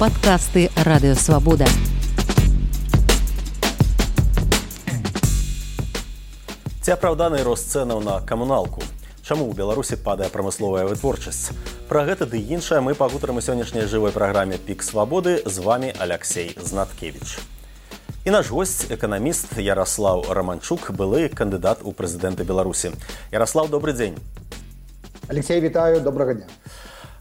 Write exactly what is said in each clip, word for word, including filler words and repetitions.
Падкасты Радыёвабода. Ці апраўданы рост цэнаў на камуналку? Чаму ў Беларусі падае прамысловая вытворчасць? Пра гэта ды іншае мы пагутарым у сённяшняй жывой праграме «Пік свабоды». З вами Аляксей Знаткевіч. І наш госць, эканаміст Яраслаў Раманчук, былы кандыдат у прэзідэнты Беларусі. Яраслаў, добры дзень. Алексей, вітаю, добрага дня.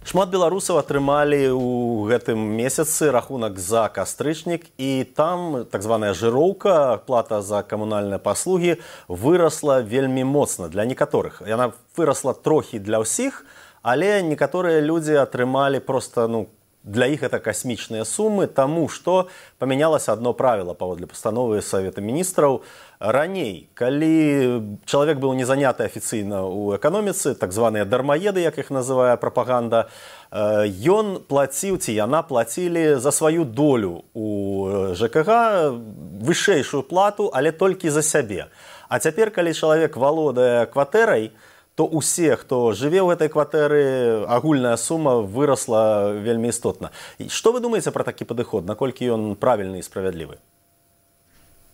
Шмат беларусаў атрымалі ў гэтым месяцы рахунак за кастрычнік, і там так званая жыроўка, плата за камунальныя паслугі, вырасла вельмі моцна для некаторых. Яна вырасла трохі для ўсіх, але некаторыя людзі атрымалі проста, ну, для іх это касмічныя сумы, таму што памянялася адно правіла паводле пастановы Савета міністраў. Раней, калі чалавек быў не заняты афіцыйна ў эканоміцы, так званыя дармаеды, як іх называе прапаганда, ён плаціў, ці яна плацілі за сваю долю у ЖКГ вышэйшую плату, але толькі за сябе. А цяпер, калі чалавек валодае кватэрай, то усе, хто жыве ў гэтай кватэры, агульная сума вырасла вельмі істотна. Што вы думаеце пра такі падыход? Наколькі ён правільны і справядлівы?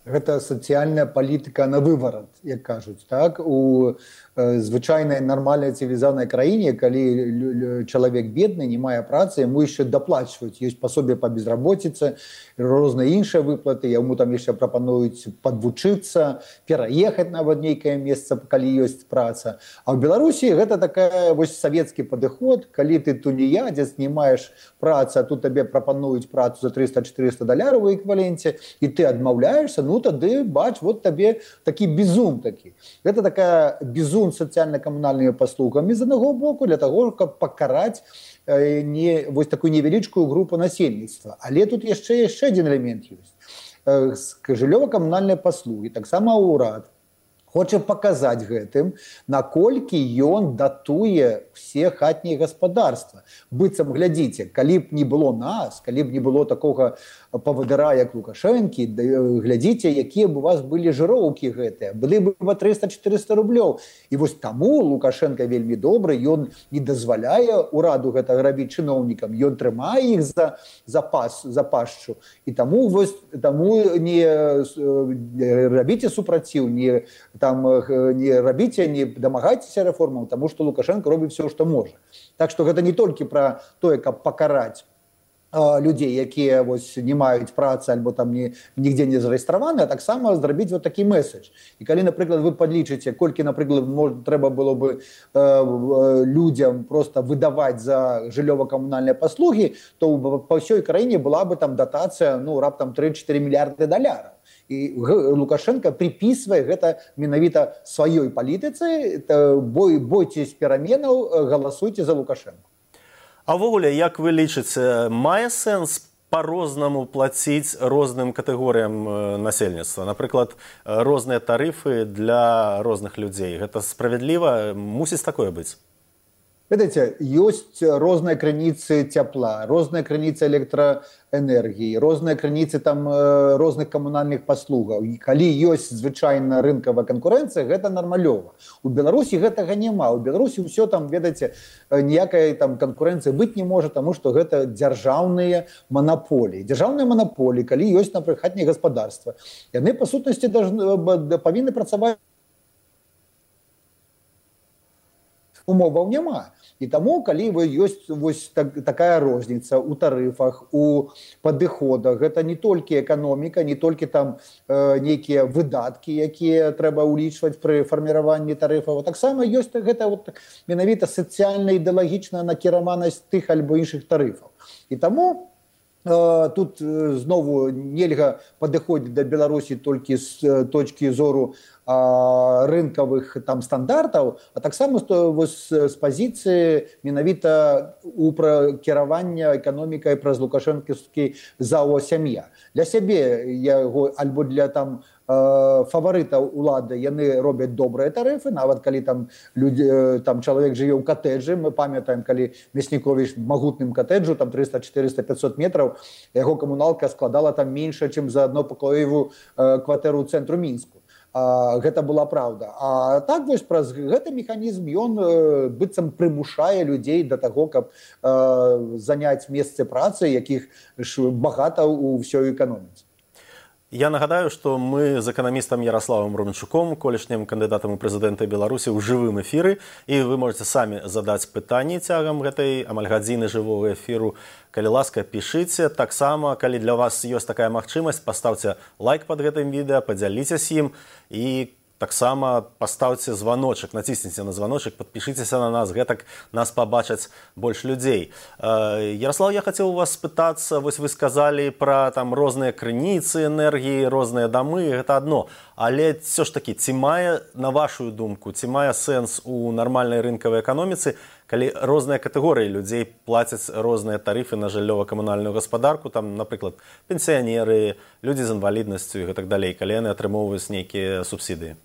Гэта сацыяльная палітыка на выварат, як кажуць, так? У э, звычайнай нармальнай цывілізаванай краіне, калі чалавек бедны, не мае працы, яму яшчэ даплачваюць. Ёсць пасобе па безработіцы, розныя іншыя выплаты, яму там яшчэ прапануюць падвучыцца, пераехаць нават нейкае месца, калі ёсць праца. А ў Беларусі гэта такая вось савецкі падыход, калі ты тунеядзец, не маеш працы, а тут табе прапануюць працу за трыста-чатырыста даляраў у эквіваленце, і ты адмаўляешся, ну тады, бач, вот табе такі бізун такі. Гэта такая бізун сацыяльна-камунальнымі паслугамі з аднаго боку для таго, каб пакараць э, не, вось такую невялічкую групу насельніцтва. Але тут яшчэ яшчэ адзін элемент ёсць. Э, жыллёва-камунальныя паслугі, таксама ўрад, хоча паказаць гэтым, наколькі ён датуе все хатнія гаспадарства. Быццам, глядзіце, калі б не было нас, калі б не было такога павадыра, як Лукашэнкі, глядзіце, якія б у вас былі жыроўкі гэтыя. Былі бы па трыста-чатырыста рублёў. І вось таму Лукашэнка вельмі добры, ён не дазваляе ўраду гэтага рабіць чыноўнікам, ён трымае іх за, за, пас, за пашчу. І таму, вось, таму не рабіце супраціў, не, там, не рабіце, не дамагайцеся рэформам, таму што Лукашэнка робіць все, што можа. Так што гэта не толькі пра тое, каб пакараць людзей, якія вось не маюць працы альбо там не, нігде не зарэгістраваны, а таксама зрабіць вот такі месседж. І калі, напрыклад, вы падлічыце, колькі, напрыклад, мож, трэба было бы э, людзям просто выдаваць за жыллёва-камунальныя паслугі, то па ўсёй краіне была бы там датацыя, ну, раптам тры-чатыры мільярды даляраў. І Лукашенко припісвае гэта менавіта сваёй палітыцы, бой, бойцесь пераменаў, галасуйце за Лукашенко. А ўвогуле, як вы лічыце, мае сэнс па-рознаму плаціць розным катэгорыям насельніцтва? Напрыклад, розныя тарыфы для розных людзей. Гэта справядліва? Мусіць такое быць? Ведаеце, ёсць розныя крыніцы цяпла, розныя крыніцы электраэнергіі, розныя крыніцы там розных камунальных паслугаў. І калі ёсць звычайна рынкавая канкурэнцыя, гэта нармалёва. У Беларусі гэтага няма. У Беларусі ўсё там, ведаеце, ніякай там канкурэнцыі быць не можа, таму што гэта дзяржаўныя манаполіі. Дзяржаўныя манаполіі, калі ёсць, напрыклад, хатнія гаспадарства, яны па сутнасці павінны працаваць. Умоваў няма. І таму, калі вы ёсць вось так, такая розніца ў тарыфах, у падыходах, гэта не толькі эканоміка, не толькі там э, нейкія выдаткі, якія трэба ўлічваць пры фарміраванні тарыфаў. Таксама ёсць гэта вот, менавіта сацыяльна-ідэалагічная накіраванасць тых альбо іншых тарыфаў. І таму э, тут э, знову нельга падыходзіць да Беларусі толькі з точкі зору рынкавых там стандартаў, а таксама з пазіцыі менавіта у кіравання эканомікай праз лукашэнкаўскі зао сям'я. Для сябе яго альбо для там фаварытаў улады яны робяць добрыя тарыфы, нават калі там людзі, там чалавек жыве ў катэджы, мы памятаем, калі Мясніковіч магутным катэджу, там трыста, чатырыста, пятьсот метраў, яго камуналка складала там менш, чым за аднопакоевую кватэру ў цэнтру Мінску. гэта была праўда. А так вось праз гэты механізм ён быццам прымушае людзей да таго, каб заняць месцы працы, якіх багата ў ўсёй эканоміцы. Я нагадаю, што мы з эканамістам Ярославам Романчуком, колішнім кандыдатам у прэзідэнты Беларусі ў жывым эфіры, і вы можете самі задаць пытанні цягам гэтай амаль гадзіны жывога эфіру. Калі ласка, пішыце. Таксама, калі для вас ёсць такая магчымасць, паставце лайк пад гэтым відэа, падзяліцеся ім і таксама паставце званочак, націсніце на званочак, падпішыцеся на нас, гэтак нас пабачаць больш людзей. Ярослав, я хацеў у вас спытацца, вось вы сказалі пра там розныя крыніцы энергіі, розныя дамы, гэта адно. Але все ж такі, ці мае, на вашу думку, ці мае сэнс у нармальнай рынкавай эканоміцы, калі розныя катэгорыі людзей плацяць розныя тарыфы на жыллёва-камунальную гаспадарку, там, напрыклад, пенсіянеры, людзі з інваліднасцю і гэтак далей, калі яны атрымоўваюць нейкія субсідыі?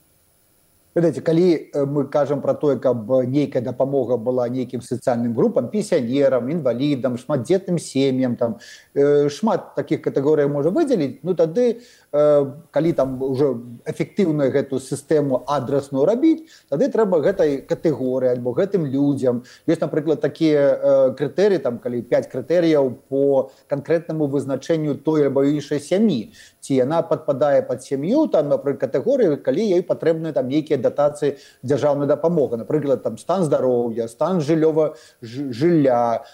Ведаеце, калі мы кажам пра тое, каб нейкая дапамога была нейкім сацыяльным групам, пенсіянерам, інвалідам, шматдзетным сем'ям, там шмат такіх катэгорый можа выдзеліць, ну тады, калі там уже эфектыўную гэту сістэму адрасную рабіць, тады трэба гэтай катэгорыі альбо гэтым людзям. Ёсць, напрыклад, такія крытэрыі, там, калі пяць крытэрыяў по канкрэтнаму вызначэнню той альбо іншай сям'і. Ці яна падпадае пад сям'ю, там, напрыклад, катэгорыі, калі ёй патрэбны там нейкія датацыі дзяржаўнай дапамогі. Напрыклад, там стан здароўя, стан жыллёва жылля,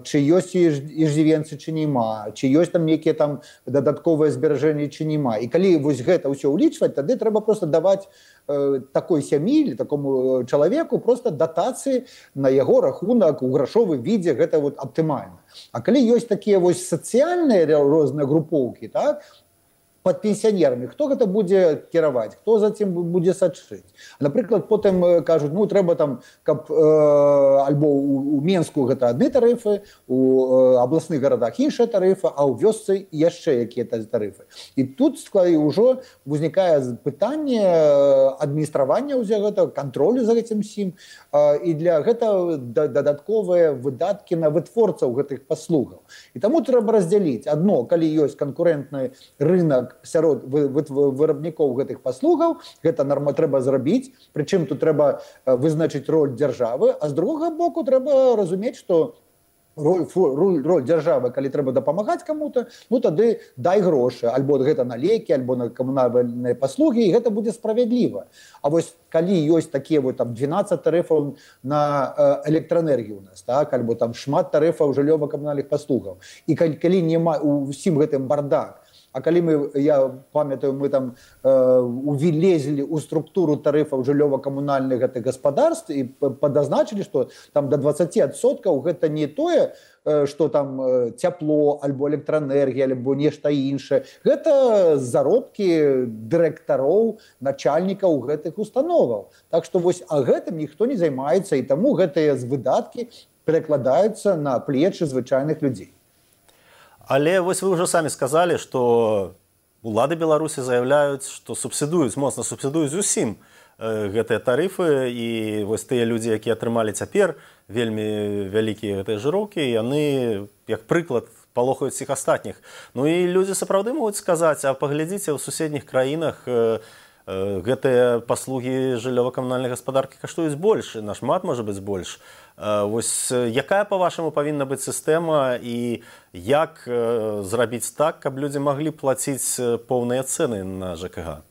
чи ёсць иждзівенцы, чи нема, чи ёсць там нейкія там дадатковыя зберажэнні, чи нема. І калі вось гэта ўсё ўлічваць, тады трэба проста даваць э, такой сям'і или такому чалавеку проста датацыі на яго рахунак у грашовым відзе, гэта вот аптымальна. А калі ёсць такія вось сацыяльныя розныя групоўкі, так, пад пенсіянерамі, хто гэта будзе кіраваць, хто за цим будзе сачыць. Напрыклад, потым кажуць, ну трэба там, каб э, альбо у, у Менску гэта адны тарыфы, у э, абласных гарадах іншыя тарыфы, а ў вёсцы яшчэ якія тарыфы. І тут ўжо узнікае пытанне адміністравання ўсяго гэтага, кантролю за гэтым сім, э, і для гэтага дадатковыя выдаткі на вытворцаў гэтых паслугаў. І таму трэба раздзяліць. Адно, калі ёсць канкурэнтны рынок сярод вырабнікоў гэтых паслугаў, гэта норма трэба зрабіць, прычым тут трэба вызначыць роль дзяржавы, а з другога боку трэба разумець, што роль, роль, роль дзяржавы, калі трэба дапамагаць каму-то, ну тады дай грошы, альбо гэта на лекі, альбо на камунальныя паслугі, і гэта будзе справядліва. А вось калі ёсць такія вот там двенаццаць тарыфаў на электраэнергію у нас, так, альбо там шмат тарыфаў жыллёва-камунальных паслугаў, і калі, калі няма усім гэтым бардак, а калі мы, я памятаю, мы там э, увілезлі ў структуру тарыфаў жыллёва-камунальных гэтых гаспадарств і падазначылі, што там да дваццаці адсоткаў гэта не тое, што там цяпло, альбо электраэнергія, альбо нешта іншае. Гэта заробкі дырэктароў, начальнікаў гэтых установаў. Так што вось а гэтым ніхто не займаецца, і таму гэтыя выдаткі перакладаюцца на плечы звычайных людзей. Але вось вы ўжо самі сказалі, што улады Беларусі заяўляюць, што субсідуюць, моцна субсідуюць зусім гэтыя тарыфы, і вось тыя людзі, якія атрымалі цяпер вельмі вялікія гэтыя жыроўкі, яны, як прыклад, палохаюць всіх астатніх. Ну і людзі сапраўды могуць сказаць, а паглядзіце, ў суседніх краінах гэтыя паслугі жыллёва-камунальнай гаспадаркі каштуюць больш, нашмат можа быць больш. Вось якая, па-вашаму, павінна быць сістэма і як зрабіць так, каб людзі маглі плаціць поўныя цэны на ЖКГ?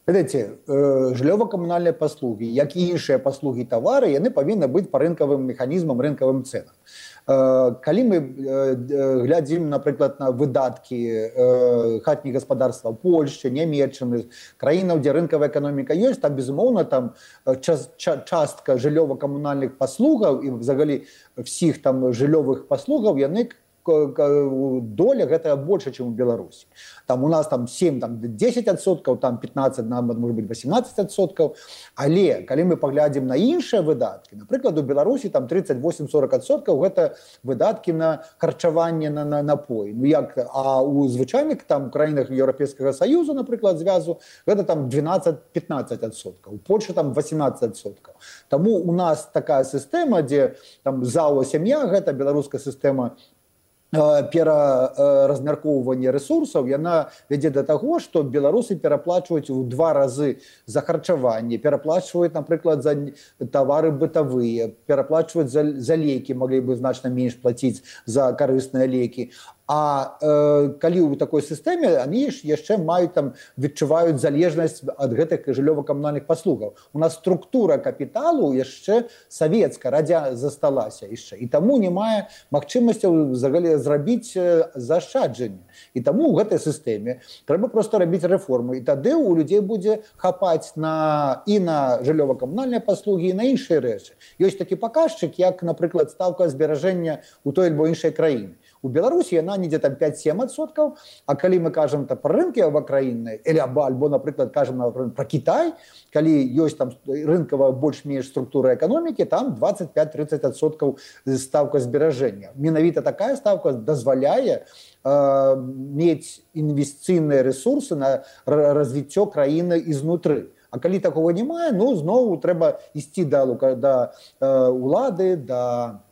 Ведаеце, жыллёва-камунальныя паслугі, як і іншыя паслугі тавары, яны павінны быць па рынкавым механізмам, рынкавым цэнам. Калі мы глядзім, напрыклад, на выдаткі хатніх гаспадарства Польшчы, Нямецчыны, краінаў, дзе рынкавая эканоміка ёсць, там, безумоўна, там частка жыллёва-камунальных паслугаў і взагалі всіх там жыллёвых паслугаў, яны доля гэтая больше, чым у Беларусі. Там у нас там сем дзесяць адсоткаў, там пятнаццаць, может быть, восемнадцать адсоткаў. Але калі мы паглядзім на іншыя выдаткі, напрыклад, у Беларусі там тридцать восемь сорок адсоткаў гэта выдаткі на харчаванне, на, на напой. Ну як, а у звычайных там краінах Еўрапейскага Саюзу, напрыклад, звязу, гэта там двенадцать пятнаццаць адсоткаў. У Польшы там восемнадцать адсоткаў. Таму у нас такая сістэма, дзе там ЗАО сям'я, гэта беларуская сістэма пераразмяркоўвання рэсурсаў, яна вядзе да таго, што беларусы пераплачваюць у два разы за харчаванне, пераплачваюць, напрыклад, за тавары бытавыя, пераплачваюць за, за лекі, маглі бы значна менш плаціць за карысныя лекі. А э, калі ў такой сістэме, они ж яшчэ маюць там, відчуваюць залежнасць ад гэтых жыллёва-камунальных паслугаў. У нас структура капіталу яшчэ савецкая, радзя засталася яшчэ. І таму не мае магчымасцяў зрабіць заашчаджанне. І таму ў гэтай сістэме трэба проста рабіць рэформы. І тады ў людзей будзе хапаць на, і на жыллёва-камунальныя паслугі, і на іншыя рэчы. Ёсць такі паказчык, як, напрыклад, стаўка зберажэння ў той альбо іншай краіне. У Беларусі яна недзе там пяць-сем адсоткаў, а калі мы кажам пра рынкі авакраінныя, альбо, альбо, напрыклад, кажам пра Кітай, калі ёсць там рынкавая больш-менш структура эканомікі, там дваццаць пяць-трыццаць адсоткаў стаўка зберажэння. Менавіта такая стаўка дазваляе э, мець інвестыцыйныя рэсурсы на развіццё краіны ізнутры. А калі такого не мае, ну, зноў трэба ісці да, да э, улады, да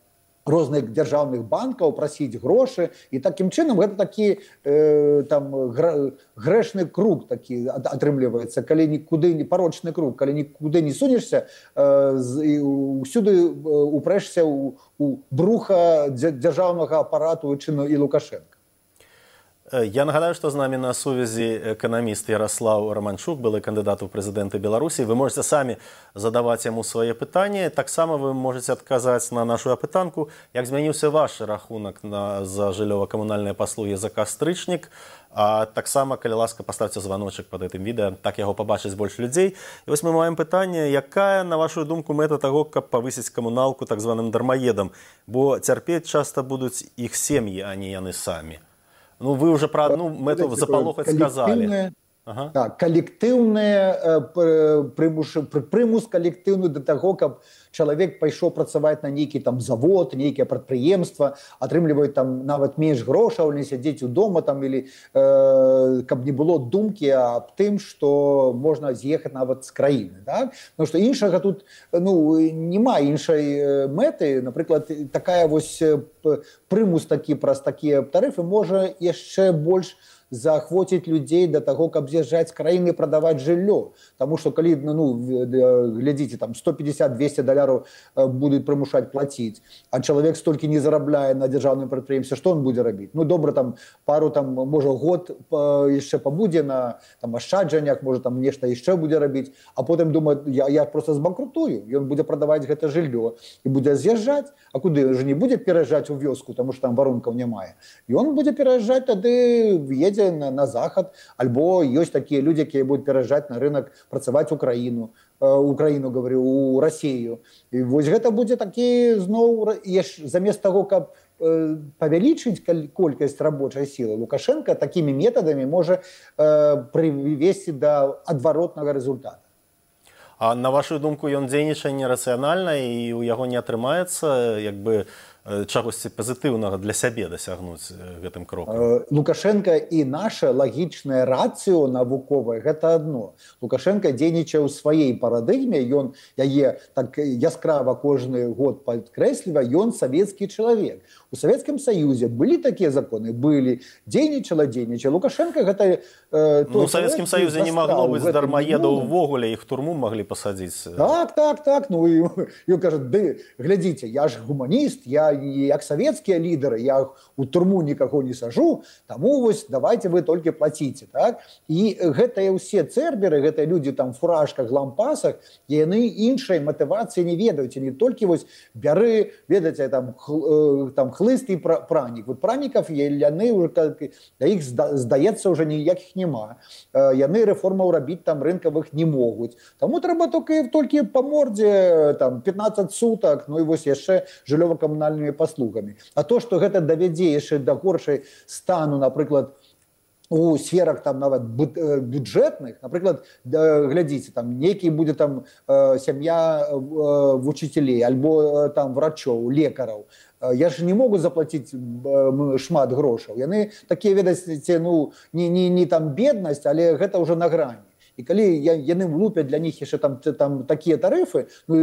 розных дзяржаўных банкаў, прасіць грошы, і такім чынам гэта такі э, там грэшны круг такі атрымліваецца, калі нікуды не парочны круг, калі нікуды не сунешся, э, і ўсюды упрэшся ў, у бруха дзяржаўнага апарату чыну і Лукашенка. Я нагадаю, што з намі на сувязі эканаміст Ярослаў Романчук, былы кандыдат у прэзідэнты Беларусі. Вы можете самі задаваць яму свае пытанні. Таксама вы можете адказаць на нашу апытанку, як змяніўся ваш рахунак на, за жыллёва-камунальныя паслугі за кастрычнік. А таксама, калі ласка, паставце званочак пад гэтым відэа, так яго пабачыць больш людзей. І вось мы маем пытанне, якая, на вашу думку, мэта таго, каб павысіць камуналку так званым дармаедам? Бо цярпець часта будуць іх сем'і, а не яны самі. Ну, вы уже про одну мэту запалохаць сказали. Ага. Так, калектыўны прымус, прымус калектыўны да таго, каб чалавек пайшоў працаваць на нейкі там завод, нейкае прадпрыемства, атрымліваюць там нават менш грошаў, не сядзець у дома там, или э, каб не было думкі аб тым, што можна з'ехаць нават з краіны. Так? Потому што іншага тут ну, няма іншай мэты. Напрыклад, такая вось прымус такі праз такія тарыфы можа яшчэ больш заахвоціць людзей да таго, каб з'язджаць з краіны і прадаваць жыллё. Таму што калі, ну, глядзіце, там сто пятьдесят - двести даляраў будуць прымушаць плаціць, а чалавек столькі не зарабляе на дзяржаўным прадпрыемстве, што он будзе рабіць? Ну, добра, там пару, там, можа, год яшчэ пабудзе на там, ашчаджаннях, можа, там нешта яшчэ будзе рабіць, а потым думае, я, я просто збанкрутую, ён будзе прадаваць гэта жыллё і будзе з'язджаць, а куды? Ён жа не будзе пераязджаць у вёску, таму што там варункаў няма. Ён будзе пераязджаць, тады едзе На, на захад, альбо ёсць такія людзі, якія будуць пераязджаць на рынок, працаваць Украіну, э, Украіну, говорю, у Расію. І вось гэта будзе такі зноў, замест таго, каб э, павялічыць колькасць рабочай сілы, Лукашенко такімі метадамі можа э, прывесці да адваротнага рэзультата. А на вашу думку, ён дзейнічае нерацыянальна і у яго не атрымаецца, як бы, чагосьці пазітыўнага для сябе дасягнуць гэтым крокам? Лукашенко і наша лагічнае рацыё навуковае гэта адно. Лукашенко дзейнічае ў сваёй парадыгме, ён яе так яскрава кожны год падкрэслівае, ён савецкі чалавек. У Савецкім Саюзе былі такія законы, былі, дзейнічала, дзейнічала. Лукашенко гэта э, ну, у Савецкім Саюзе не магло быць дармаедаў увогуле, іх турму маглі пасадзіць. Так, так, так. Ну і ён кажа, ды, глядзіце, я ж гуманіст, я як савецкія лідары, я у турму нікаго не сажу, таму вось давайте вы толькі плаціце. Так? І гэтыя ўсе цэрберы, гэтыя людзі там фуражках, лампасах, яны іншай матывацыі не ведаюць. Не толькі вось бяры, ведаце, там, хл, там хлыст і пранік. Вот пранікаў яны, да іх здаецца ўжо ніякіх няма. Яны рэформаў рабіць там рынкавых не могуць. Таму трэба толькі, толькі па мордзе там, пятнадцать сутак, ну і вось яшчэ жыллёва-камунальнымі паслугамі. А то, што гэта давядзе яшчэ да горшай стану, напрыклад, у сферах там нават бюджэтных, напрыклад, глядзіце, там нейкі будзе там сям'я вучителей, альбо там врачоў, лекараў. Я ж не могу заплаціць шмат грошаў. Яны такія, ведаце, ну, не, не, не там беднасць, але гэта ўжо на грані. І калі яны влупяць для них яшчэ там, там такія тарыфы, ну,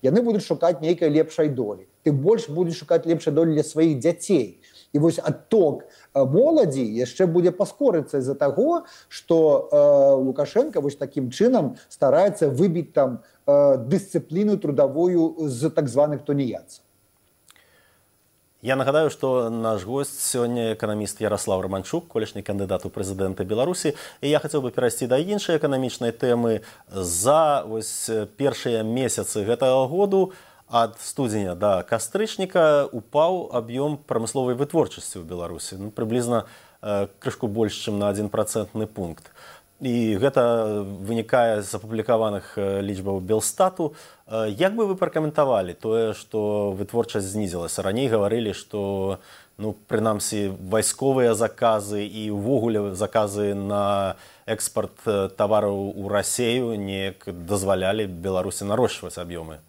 яны будуць шукаць нейкай лепшай долі. Тым больш будуць шукаць лепшай долі для сваіх дзяцей. І вось адток моладзі яшчэ будзе паскорыцца з-за таго, што э, Лукашенко вось такім чынам стараецца выбіць там э, дысцыпліну трудавую з так званых тоніяцаў. Я нагадаю, што наш госць сёння эканаміст Ярослав Романчук, колішні кандыдат у прэзідэнты Беларусі. І я хацеў бы перайсці да іншай эканамічнай тэмы. За вось першыя месяцы гэтага году ад студзеня да кастрычніка упаў аб'ём прамысловай вытворчасці ў Беларусі. Ну, прыблізна э, крышку больш, чым на адзін працэнтны пункт. І гэта вынікае з апублікаваных лічбаў Белстату. Як бы вы пракаментавалі тое, што вытворчасць знізілася? Раней гаварылі, што ну, прынамсі вайсковыя заказы і ўвогуле заказы на экспарт тавараў у Расею неяк дазвалялі Беларусі нарошчваць аб'ёмы.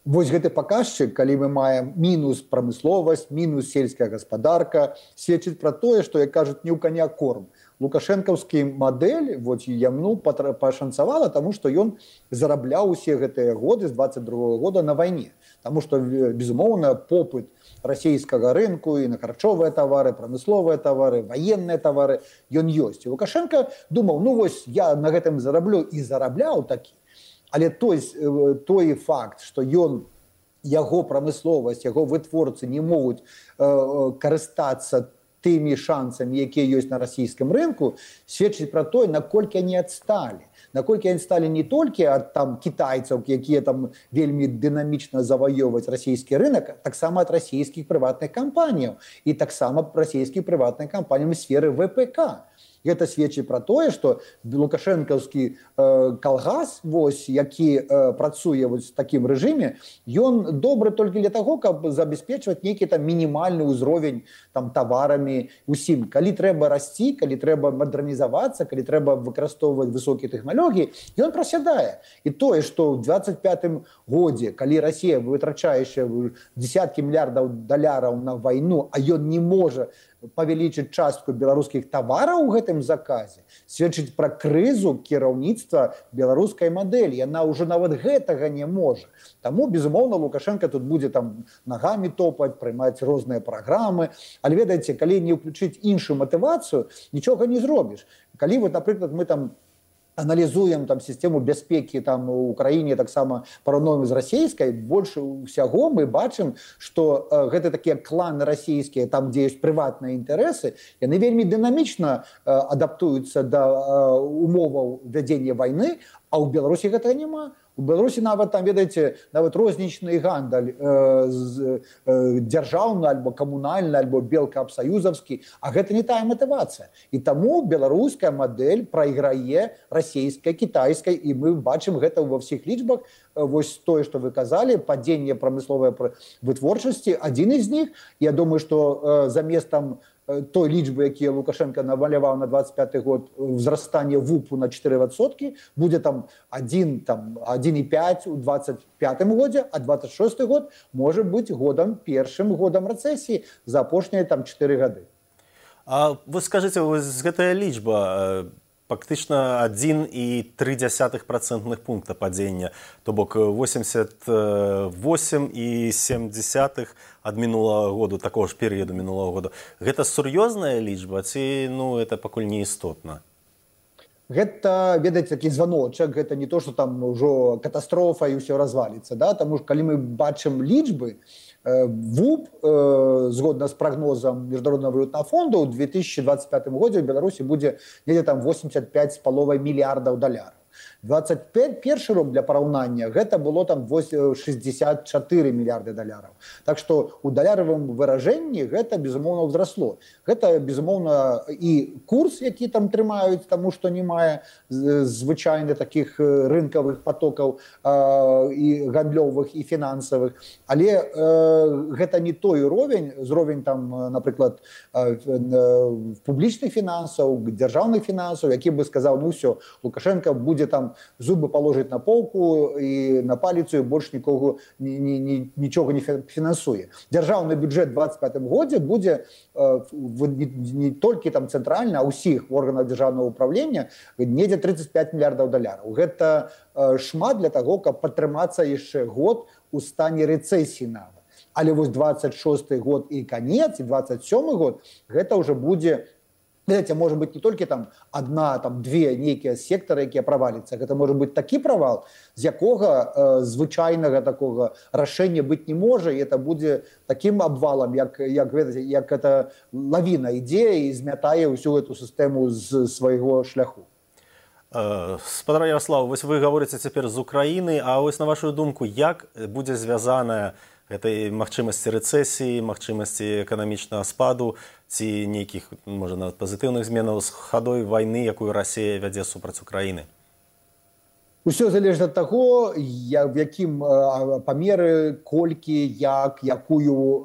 Вось гэты паказчык, калі мы маем мінус прамысловасць, мінус сельская гаспадарка, сведчыць пра тое, што, як кажуць, не ў каня корм. Лукашэнкаўскі мадэль вот, яму пашанцавала, таму што ён зарабляў усе гэтыя годы з двадцать другога года на вайне. Таму што, безумоўна, попыт расійскага рынку і на харчовыя тавары, прамысловыя тавары, ваенныя тавары, ён ёсць. І Лукашенко думаў, ну вось я на гэтым зараблю і зарабляў такі. Але той, той факт, што ён, яго прамысловасць, яго вытворцы не могуць э, карыстацца тымі шансамі, якія ёсць на расійскім рынку, сведчыць пра тое, наколькі они адсталі. Наколькі они сталі не толькі ад там кітайцаў, якія там вельмі дынамічна заваёваць расійскі рынок, таксама ад расійскіх прыватных кампаніяў і таксама расійскіх прыватных кампаніяў у сферы вэ пэ ка. Гэта сведчыць пра тое, што лукашэнкаўскі э, калгас, вось, які э, працуе вось, в такім рэжыме, ён добры толькі для таго, каб забяспечваць нейкі там мінімальны ўзровень там таварамі усім. Калі трэба расці, калі трэба мадэрнізавацца, калі трэба выкарыстоўваць высокія тэхналогіі, ён прасядае. І тое, што ў двадцать пятым годзе, калі Расія вытрачае десяткі мільярдаў даляраў на вайну, а ён не можа павялічыць частку беларускіх тавараў у гэтым заказе, сведчыць пра крызу кіраўніцтва беларускай мадэлі. Яна ўжо нават гэтага не можа. Таму, безумоўна, Лукашенко тут будзе там нагамі топаць, прымаць розныя праграмы. Але, ведаеце, калі не ўключыць іншую матывацыю, нічога не зробіш. Калі, вот, напрыклад, мы там аналізуем там сістэму бяспекі там у Украіне, таксама параўноўваем з расійскай, больш усяго мы бачым, што э, гэта такія кланы расійскія, там дзе ёсць прыватныя інтарэсы, яны вельмі дынамічна э, адаптуюцца да э, умоваў вядзення вайны, а ў Беларусі гэтага няма. У Беларусі нават там, ведаеце, нават рознічны гандаль э, з, э, дзяржаўны альбо камунальны, альбо белкаабсаюзаўскі, а гэта не тая матывацыя. І таму беларуская мадэль прайграе расійскай, кітайскай, і мы бачым гэта ва ўсіх лічбах. Вось тое, што вы казалі, падзенне прамысловай вытворчасці, адзін з них. Я думаю, што э, замест там той лічбы, якія Лукашенко намаляваў на двадцать пяты год, ўзрастанне вупу на чатыры адсоткі, будзе там адзін і пяць у двадцать пятым годзе, а двадцать шосты год можа быць годам першым годам рэцэсіі за апошнія там чатыры гады. А вы скажыце, вось гэтая лічба фактычна адзін і тры дзясятых працэнтных пункта падзення, то бок восемьдесят восемь і сем дзесятых ад мінулага году, такого ж перыяду мінулага года. Гэта сур'ёзная лічба ці ну это пакуль не істотна? Гэта, ведаеце, такі званочак, гэта не то, што там ўжо катастрофа і ўсё разваліцца, да? Таму што калі мы бачым лічбы, ВУП, э, згодна з прагнозам Міжнароднага валютнага фонду, ў две тысячи двадцать пятым годзе ў Беларусі будзе недзе там восемьдесят пять з паловай мільярдаў даляраў. двадцать першы рок для параўнання гэта было там шестьдесят четыре мільярды даляраў. Так што ў даляравым выражэнні гэта безумоўна ўзрасло. Гэта безумоўна і курс, які там трымаюць, таму што не мае звычайна такіх рынкавых потокаў э, і гандлёвых і фінансавых. Але э, гэта не той уровень, зровень там, напрыклад, э, э, публічных фінансаў, дзяржаўных фінансаў, які бы сказаў, ну ўсё, Лукашенко будзе там зубы положить на полку и на палицу, и больше никого, ни, ни, ни, ничего не финансует. Державный бюджет в двадцать пятым году будет э, не, не только там центрально, а у всех органов державного управления недзе тридцать пять миллиардов долларов. Это э, шмат для того, как подтриматься еще год у стане рецессии нават. але вось двадцать шосты год і канец, і двадцать сёмы год, гэта ўжо будзе, ведаеце, можа быць не толькі там адна, там две нейкія сектары, якія праваліцца. Гэта можа быць такі правал, з якога э, звычайнага такога рашэння быць не можа, і это будзе такім абвалам, як, як, ведаеце, як это лавіна ідзе і змятае ўсю эту сістэму з свайго шляху. Спадар Ярослав, вось вы гаворыце цяпер з Украіны, а вось на вашу думку, як будзе звязаная гэтай магчымасці рэцэсіі, магчымасці эканамічнага спаду ці нейкіх, можа, нават пазітыўных зменаў з хадой вайны, якую Расія вядзе супраць Украіны? Усё залежыць ад таго, в якім памеры, колькі, як, якую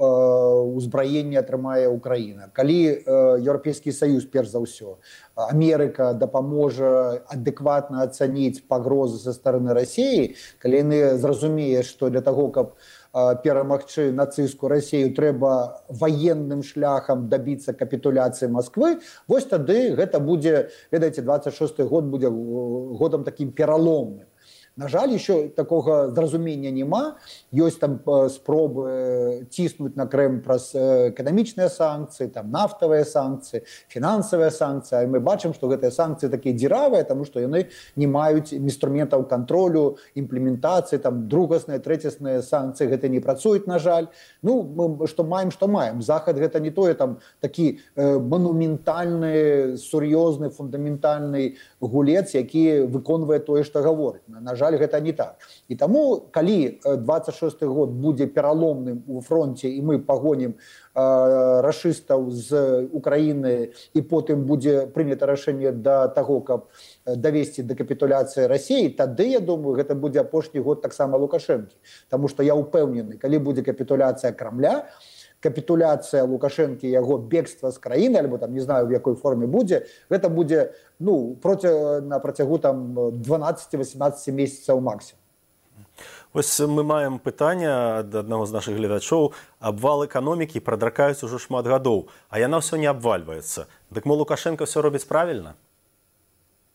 ўзбраенне атрымае Украіна. Калі Еўрапейскі Саюз, перш за ўсё, Амерыка дапаможа адэкватна ацаніць пагрозы са стараны Расіі, калі яны зразумее, што для таго, каб перамагчы нацысцкую Расію, трэба ваенным шляхам дабіцца капітуляцыі Масквы, вось тады гэта будзе, ведаеце, двадцать шосты год будзе годам такім пераломным. На жаль, еще такого зразумення нема. Ёсць там спробы ціснуць на Крым праз эканамічныя санкцыі, там нафтавыя санкцыі, фінансавыя санкцыі. А мы бачым, што гэтыя санкцыі такія дзіравыя, таму што яны не маюць інструментаў кантролю, імплементацыі, там другасныя, трэцясныя санкцыі гэта не працуюць, на жаль. Ну, мы што маем, што маем. Захад гэта не тое там такі э, манументальны, сур'ёзны, фундаментальны гулец, які выконвае тое, што гаворыць. На жаль, гэта не так. І таму, калі двадцать шосты год будзе пераломным у фронте, і мы пагонім э, рашыстаў з Украіны, і потым будзе прынята рашэнне да таго, каб давесці да капітуляцыі Расіі, тады, я думаю, гэта будзе апошні год таксама Лукашэнкі. Таму што я ўпэўнены, калі будзе капітуляцыя Крамля, капітуляцыя Лукашэнкі, яго бегства з краіны, альбо там не знаю, в якой форме будзе, гэта будзе, ну, проці, на працягу там дванаццаць-васемнаццаць месяцаў максимум. Вось мы маем пытанне ад аднаго з нашых гледачоў. Абвал эканомікі прадракаюць ужо шмат гадоў, а яна ўсё не абвальваецца. Дык мо Лукашенко ўсё робіць правільна?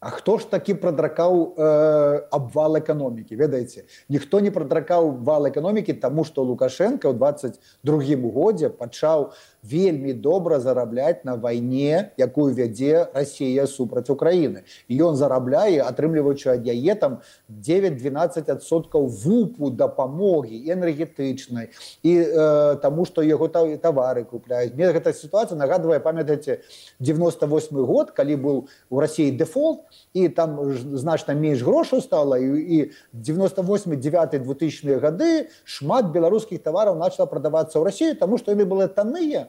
А хто ж такі прадракаў э, абвал эканомікі, ведаеце? Ніхто не прадракаў вал эканомікі, таму што Лукашенко ў двадцать другім годзе пачаў вельмі добра зарабляць на вайне, якую вядзе Расія супраць Украіны. І ён зарабляе, атрымліваючы ад яе там девять-двенаццаць адсоткаў вупу дапамогі энергетычнай, і э, таму, што яго тавары купляюць. Мне гэта сітуацыя нагадвае, памятаеце, девяносто восьмы год, калі быў у Расіі дэфолт, і там значна менш грошаў стала, і, і девяносто восьмы девятый двухтысячные гады шмат беларускіх тавараў начала прадавацца ў Расію, таму што яны былі танныя,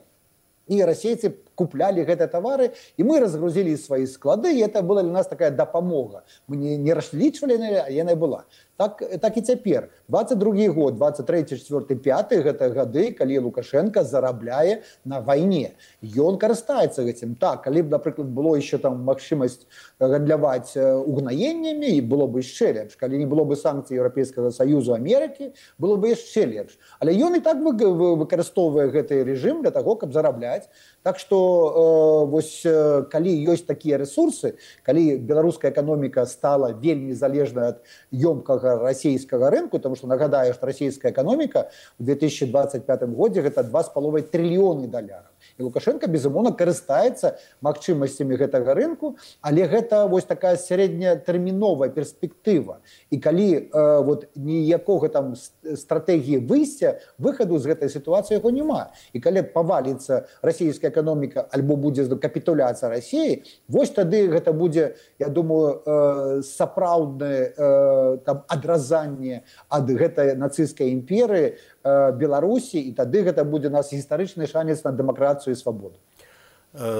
і расейцы куплялі гэтыя тавары, і мы разгрузілі свае склады, і это была для нас такая дапамога. Мы не, не разлічвалі, а яна была. Так, так і цяпер. двадцать другі год, двадцать трэці, чвёрты, пяты гэта гады, калі Лукашенко зарабляе на вайне. Ён карыстаецца гэтым. Так, калі б, напрыклад, было еще там магчымасць гандляваць угнаеннямі, і было б яшчэ лепш. Калі не было бы санкцый Еўрапейскага Саюзу, Амерыкі, было бы яшчэ лепш. Але ён і так выкарыстоўвае гэты рэжым для таго, каб зарабляць. Так што э, вось, э, калі ёсць такія рэсурсы, калі беларуская эканоміка стала вельмі залежная ад ёмкага расійскага рынку, тому што нагадаю, што расійская эканоміка ў две тысячи двадцать пятым годзе гэта два з паловай трыльёны даляраў. І Лукашенко, безумоўна, карыстаецца магчымасцямі гэтага рынку, але гэта вось такая сярэднятэрміновая перспектыва. І калі э, вот, ніякога там стратэгіі выйсця, выхаду з гэтай сітуацыі яго няма. І калі паваліцца расійская эканоміка альбо будзе капітуляцыя Расіі, вось тады гэта будзе, я думаю, э, сапраўднае э, там адразанне ад гэтай нацысцкай імперыі э, Беларусі, і тады гэта будзе у нас гістарычны шанец на дэмакратыю і свабоду.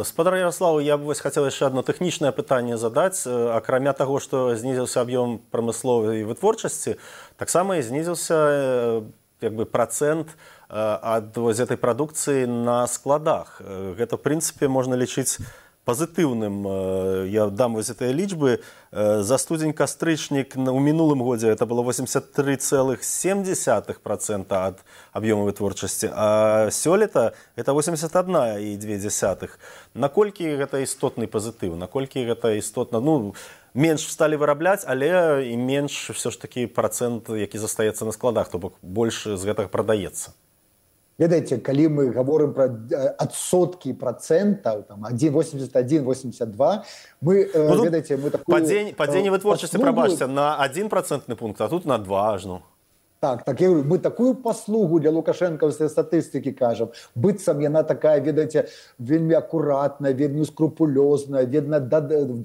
Спадар Ярославу, я б вось хацеў яшчэ одно тэхнічнае пытанне задаць. Акрамя таго, што знізіўся аб'ём прамысловай вытворчасці, таксама і знізіўся як бы працэнт ад вось гэтай прадукцыі на складах. Гэта, в прынцыпе, можна лічыць пазітыўным. Я дам вось гэтыя лічбы. За студзень-кастрычнік у мінулым годзе это было восемьдесят три целых семь десятых процента ад аб'ёму вытворчасці, а сёлета это восемьдесят одна и две десятых. Наколькі гэта істотны пазітыў, наколькі гэта істотна, ну, менш сталі вырабляць, але і менш все ж таки працэнт, які застаецца на складах, то бок больш з гэтага прадаецца. Ведаеце, калі мы гаворым пра адсоткі працэнтаў, там один восемьдесят один восемьдесят два, мы, ну, ведаеце, мы такую... Падзенне, падзенне вытворчасці, прабачце, на один процентны пункт, а тут на два аж, ну. Так, так я говорю, мы такую паслугу для лукашэнкаўскай статыстыкі кажам, быццам яна такая, ведаеце, вельмі акуратная, вельмі скрупулёзная, вельмі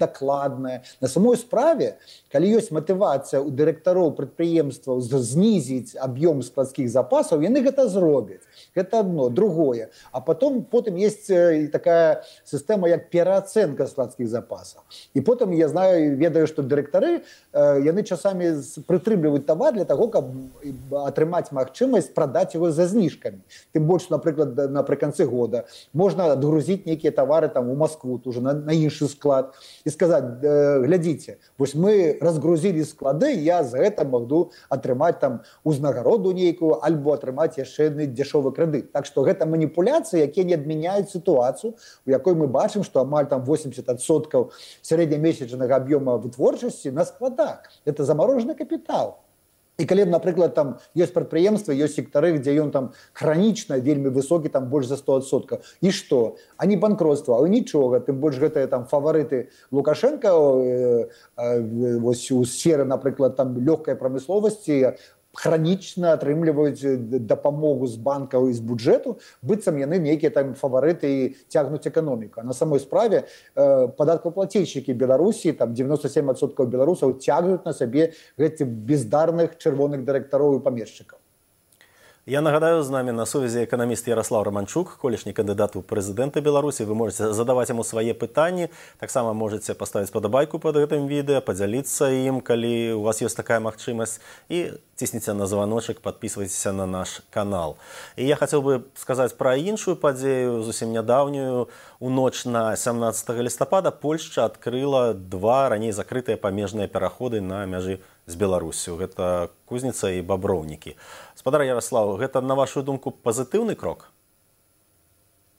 дакладная. На самой справе, калі ёсць матывацыя у дырэктароў прадпрыемстваў знізіць аб'ём складскіх запасаў, яны гэта зробяць. Гэта одно. Другое. А потом, потом есть такая сістэма, як пераацэнка складскіх запасаў. І потым я знаю, ведаю, што дырэктары, яны часамі прытрымліваюць тавар для таго, каб атрымаць магчымасць прадаць его за зніжкамі. Тым больш, напрыклад, напрыканцы года можна адгрузіць нейкія тавары там у Москву, уже на, на іншы склад, і сказаць, глядзіце, вось мы разгрузілі склады, я за гэта магу атрымаць там узнагароду нейкую, альбо атрымаць яшчэ адны дешевы крэдыт. Так што гэта маніпуляцыі, якія не адмяняюць сітуацыю, у якой мы бачым, што амаль там восемьдесят адсоткаў сярэднямесячнага аб'ёма вытворчасці на складах. Это заморожены капітал. І калі, напрыклад, там ёсць прадпрыемствы, ёсць сектары, дзе ён там хранічна вельмі высокі, там больш за сто адсоткаў. І што? Ані банкротства, але нічога, тым больш гэтыя там фаварыты Лукашенка э, э, вось у сферы, напрыклад, там лёгкай прамысловасці хранічна атрымліваюць дапамогу з банкаў і з бюджэту, быццам яны нейкія там фаварыты і цягнуць эканоміку. А на самой справе э, падаткаплацільшчыкі Беларусі, там девяносто семь адсоткаў беларусаў цягнуць на сабе гэтых бездарных чырвоных дырэктароў і памешчыкаў. Я нагадаю, з намі на сувязі эканаміст Ярослав Романчук, колішні кандидат у прэзідэнты Беларусі. Вы можете задаваць яму свае пытанні, таксама можете паставіць падабайку пад гэтым відэа, падзяліцца ім, калі у вас ёсць такая магчымасць, і цісніце на званочак, падпісвайцеся на наш канал. І я хацеў бы сказаць пра іншую падзею, зусім нядаўнюю. У ноч на сямнаццатага лістапада Польшча адкрыла два раней закрытыя памежныя пераходы на мяжы з Беларусю. Гэта Кузніца і Баброўнікі. Спадар Ярослав, гэта, на вашу думку, пазітыўны крок?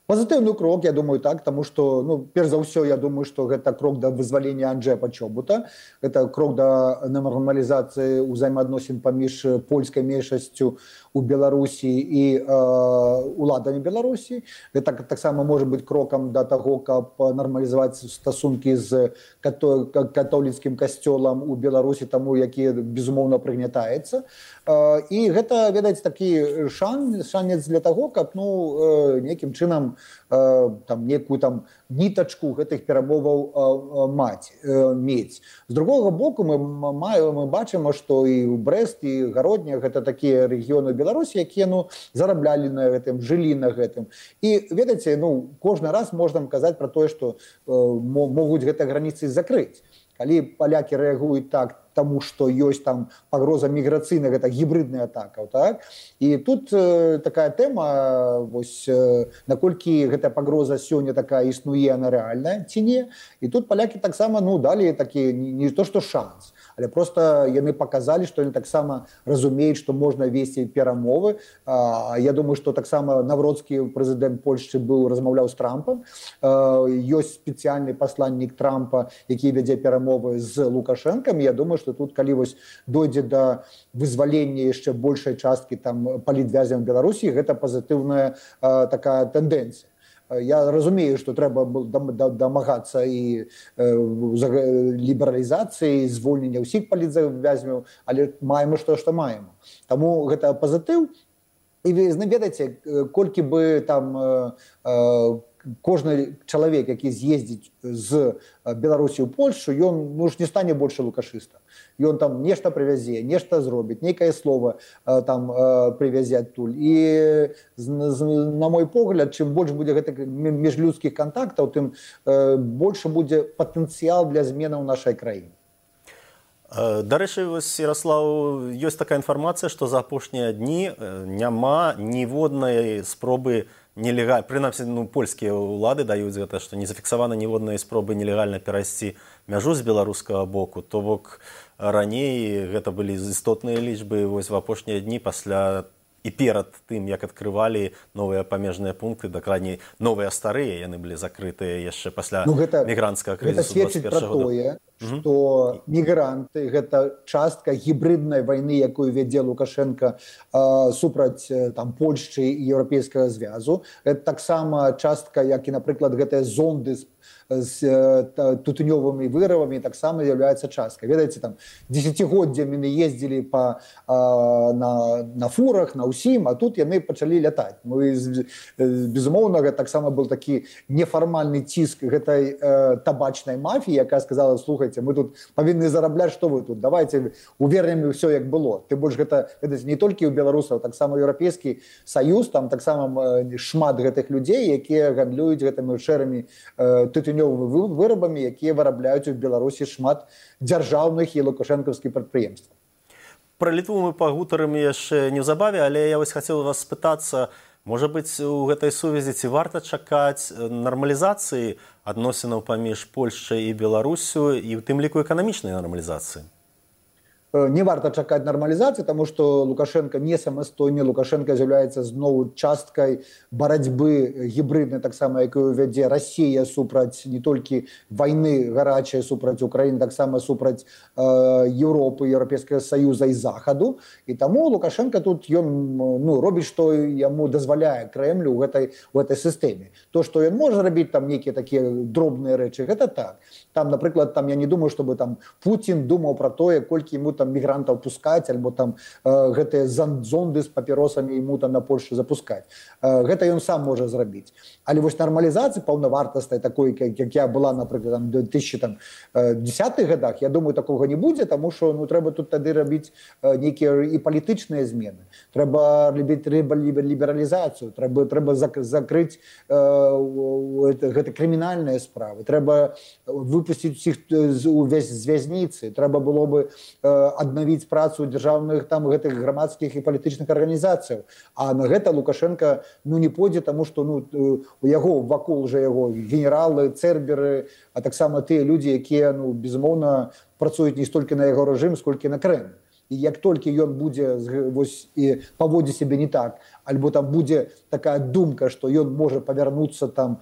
Пазітыўны крок, я думаю, так, тому што, ну, перш за ўсё, я думаю, што гэта крок да вызвалення Анджэя Пачобута, гэта крок да нармалізацыі ўзаемаадносін паміж польскай меншасцю у Беларусі і э, уладамі Беларусі. Гэта таксама можа быць крокам да таго, каб нармалізаваць стасункі з като католіцкім касцёлам у Беларусі, таму, які, безумоўна, прыгнятаецца. Э, і гэта, ведаеце, такі шанс, шанец для таго, каб, ну, э, нейкім чынам там некую там нітачку гэтых перамоваў маць мець. З другога боку мы маем мы бачым, што і ў Брэст і Гародня гэта такія рэгіёны Беларусі, якія ну зараблялі на гэтым, жылі на гэтым. І ведаеце, ну кожны раз можна казаць пра тое, што могуць гэтыя граніцы закрыць. Калі палякі рэагуюць так, таму што ёсць там пагроза міграцыйная, гэта гібридная атака, так? І тут э, такая тэма, вось э, наколькі гэтая пагроза сёння такая існуе, она рэальная ці не. І тут палякі таксама ну далі такі не, не то што шанс, але просто яны показалі, што яны таксама разумеюць, што можна весці перамовы. А, я думаю, што таксама Навроцкі, прэзідэнт Польшчы, быў размаўляў з Трампам. А, ёсць спецыяльны пасланнік Трампа, які вядзе перамовы з Лукашэнкам. Я думаю, што тут калі вось дойдзе да вызвалення яшчэ большай часткі там палітвязняў Беларусі, гэта пазітыўная а, такая тэндэнцыя. Я разумею, што трэба дамагацца і лібералізацыі, звольнення ўсіх палітвязняў, але маем што што маем. Таму гэта пазітыў. І ведаеце, колькі бы там кожны чалавек, які з'ездзіць з Беларусі ў Польшчу, ён ну, ж не стане больше лукашыста. Ён там нешта прывязе, нешта зробіць, нейкае слово там прывязе адтуль. І на мой погляд, чым больш будзе гэтых міжлюдскіх кантактаў, тым больше будзе патэнцыял для зменаў нашай краіны. Дарэчы, Ярослав, ёсць такая інфармацыя, што за апошнія дні няма ніводнай спробы нелегальна, прынамсі, ну, польскія ўлады даюць гэта, што не зафіксавана ніводнай спробы нелегальна перайсці мяжу з беларускага боку. То бок раней гэта былі істотныя лічбы, вось в апошнія дні пасля і перад тым, як адкрывалі новыя памежныя пункты, дакладней новыя старыя, яны былі закрытыя яшчэ пасля ну, гэта, мігрантскага крызісу двадцать первого года. што мігранты гэта частка гібриднай вайны, якую вядзе Лукашенко э, супраць там Польшчы і Еўрапейскага звязу. Гэта таксама частка, як і, напрыклад, гэтыя зонды з з тутунёвымі вырабамі таксама з'яўляецца часткай. Ведаеце, там дзесяцігоддзямі яны ездзілі па, а, на, на фурах, на ўсім, а тут яны пачалі лятаць. Ну, і, безумоўна, гэта таксама был такі нефармальны ціск гэтай э, табачнай мафіі, якая сказала: слухайце, мы тут павінны зарабляць, што вы тут, давайте увернем ўсё як было. Ты больш гэта, ведаеце, не толькі ў беларусаў, таксама Еўрапейскі Саюз, там таксама шмат гэтых людзей, якія гандлююць гэтымі шэрымі э, тытунёвымі вырабамі, якія вырабляюць у Беларусі шмат дзяржаўных і лукашэнкаўскіх прадпрыемстваў. Пра Літву мы пагутарым яшчэ неўзабаве, але я вось хацеў вас спытацца, можа быць, у гэтай сувязі ці варта чакаць нармалізацыі адносінаў паміж Польшчай і Беларусю і ў тым ліку эканамічнай нармалізацыі? Не варта чакаць нармалізацыі, таму што Лукашенко не самастойны. Лукашенко з'яўляецца зноў часткай барацьбы гібриднай, таксама якую вядзе Расія супраць не толькі вайны гарачай супраць Украіны, таксама супраць э, Еўропы, Еўрапейскага Саюза і Захаду. І таму Лукашенко тут ён ну, робіць, што яму дазваляе Крэмлю ў гэтай, у гэтай сістэме. То, што ён можа рабіць там нейкія такія дробныя рэчы, гэта так. Там, напрыклад, там я не думаю, чтобы там Путін думаў пра тое, колькі яму там мігрантаў пускаць, альбо там э, гэтыя зонды з папіросамі ему там на Польшу запускаць. Э, гэта ён сам можа зрабіць. Але вось нармалізацыя паўнавартаснай такой, як, як я была, напрыклад, там, две тысячи десятых годах, я думаю, такога не будзе, таму што ну, трэба тут тады рабіць э, нейкія і палітычныя змены. Трэба рабіць лібералізацыю, трэба, трэба зак, закрыць э, гэта крымінальныя справы, трэба выпусціць усіх увесь з вязніцы, трэба было бы э, аднавіць працу дзяржаўных там гэтых грамадскіх і палітычных арганізацыяў. А на гэта Лукашенко ну, не пойдзе, таму што ну, у яго вакол уже яго генералы, церберы, а таксама тыя людзі, якія ну, безумоўна працуюць не столькі на яго рэжым, сколькі на Крэмль. І як толькі ён будзе вось, і паводзіць сябе не так, альбо там будзе такая думка, што ён можа павярнуцца там,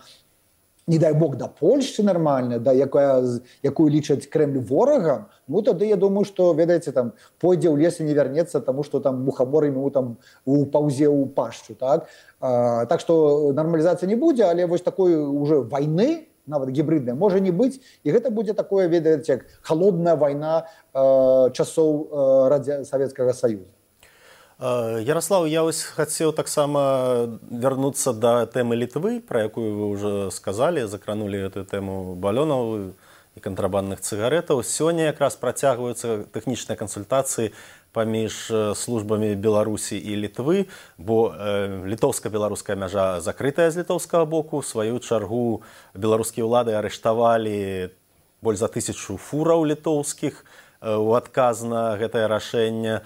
не дай бог, да Польшчы нармальна, да, якая, якую лічаць Крэмль ворагам, ну тады я думаю, што, ведаеце, там пойдзе ў лес і не вярнецца, таму што там мухамор ему там упаўзе ў пашчу, так? А, так што нармалізацыя не будзе, але вось такой уже вайны, нават гібридная, можа не быць, і гэта будзе такое, ведаеце, як халодная вайна э, часоў э, Радзя... Савецкага Саюза. Ярослав, я вось хацеў таксама вярнуцца да тэмы Літвы, пра якую вы ўжо сказалі, закранулі гэтую тэму балёнаў і кантрабандных цыгарэтаў. Сёння якраз працягваюцца тэхнічныя кансультацыі паміж службамі Беларусі і Літвы, бо э, літоўска-беларуская мяжа закрытая з літоўскага боку. У сваю чаргу беларускія ўлады арыштавалі больш за тысячу фураў літоўскіх э, у адказ на гэтае рашэнне.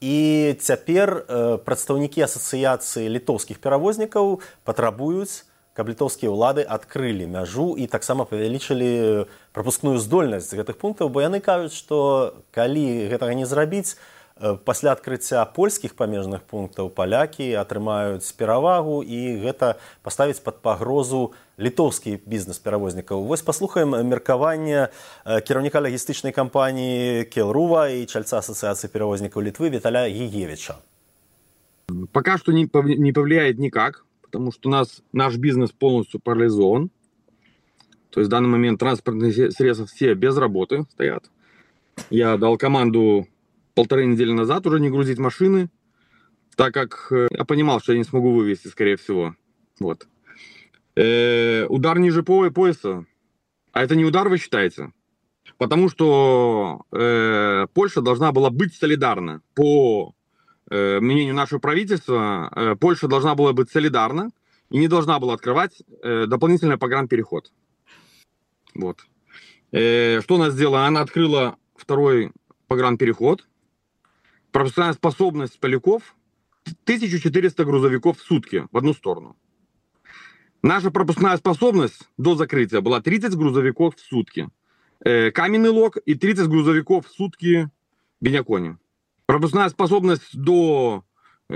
І цяпер э, прадстаўнікі асацыяцыі літоўскіх перавознікаў патрабуюць, каб літоўскія ўлады адкрылі мяжу і таксама павялічылі прапускную здольнасць гэтых пунктаў, бо яны кажуць, што калі гэтага не зрабіць, э, пасля адкрыцця польскіх памежных пунктаў палякі атрымаюць перавагу і гэта паставіць пад пагрозу літоўскі бізнес-перавознікаў. Вось паслухаем меркаванне кіраўніка лагістычнай кампаніі Келрува і чальца Ассоциации перевозников Литвы Виталя Егевича. Пока что не повлияет никак, потому что у нас наш бизнес полностью парализован. То есть в данный момент транспортные средства все без работы стоят. Я дал команду полторы недели назад уже не грузить машины, так как я понимал, что я не смогу вывезти, скорее всего. Вот. Э, удар ниже пояса. А это не удар, вы считаете? Потому что э, Польша должна была быть солидарна. По э, мнению нашего правительства, э, Польша должна была быть солидарна и не должна была открывать э, дополнительный погранпереход. Вот. Э, что она сделала? Она открыла второй погранпереход. Пропускная способность поляков тысяча четыреста грузовиков в сутки в одну сторону. Наша пропускная способность до закрытия была тридцать грузовиков в сутки. Э, Каменный Лог и тридцать грузовиков в сутки Бенякони. Пропускная способность до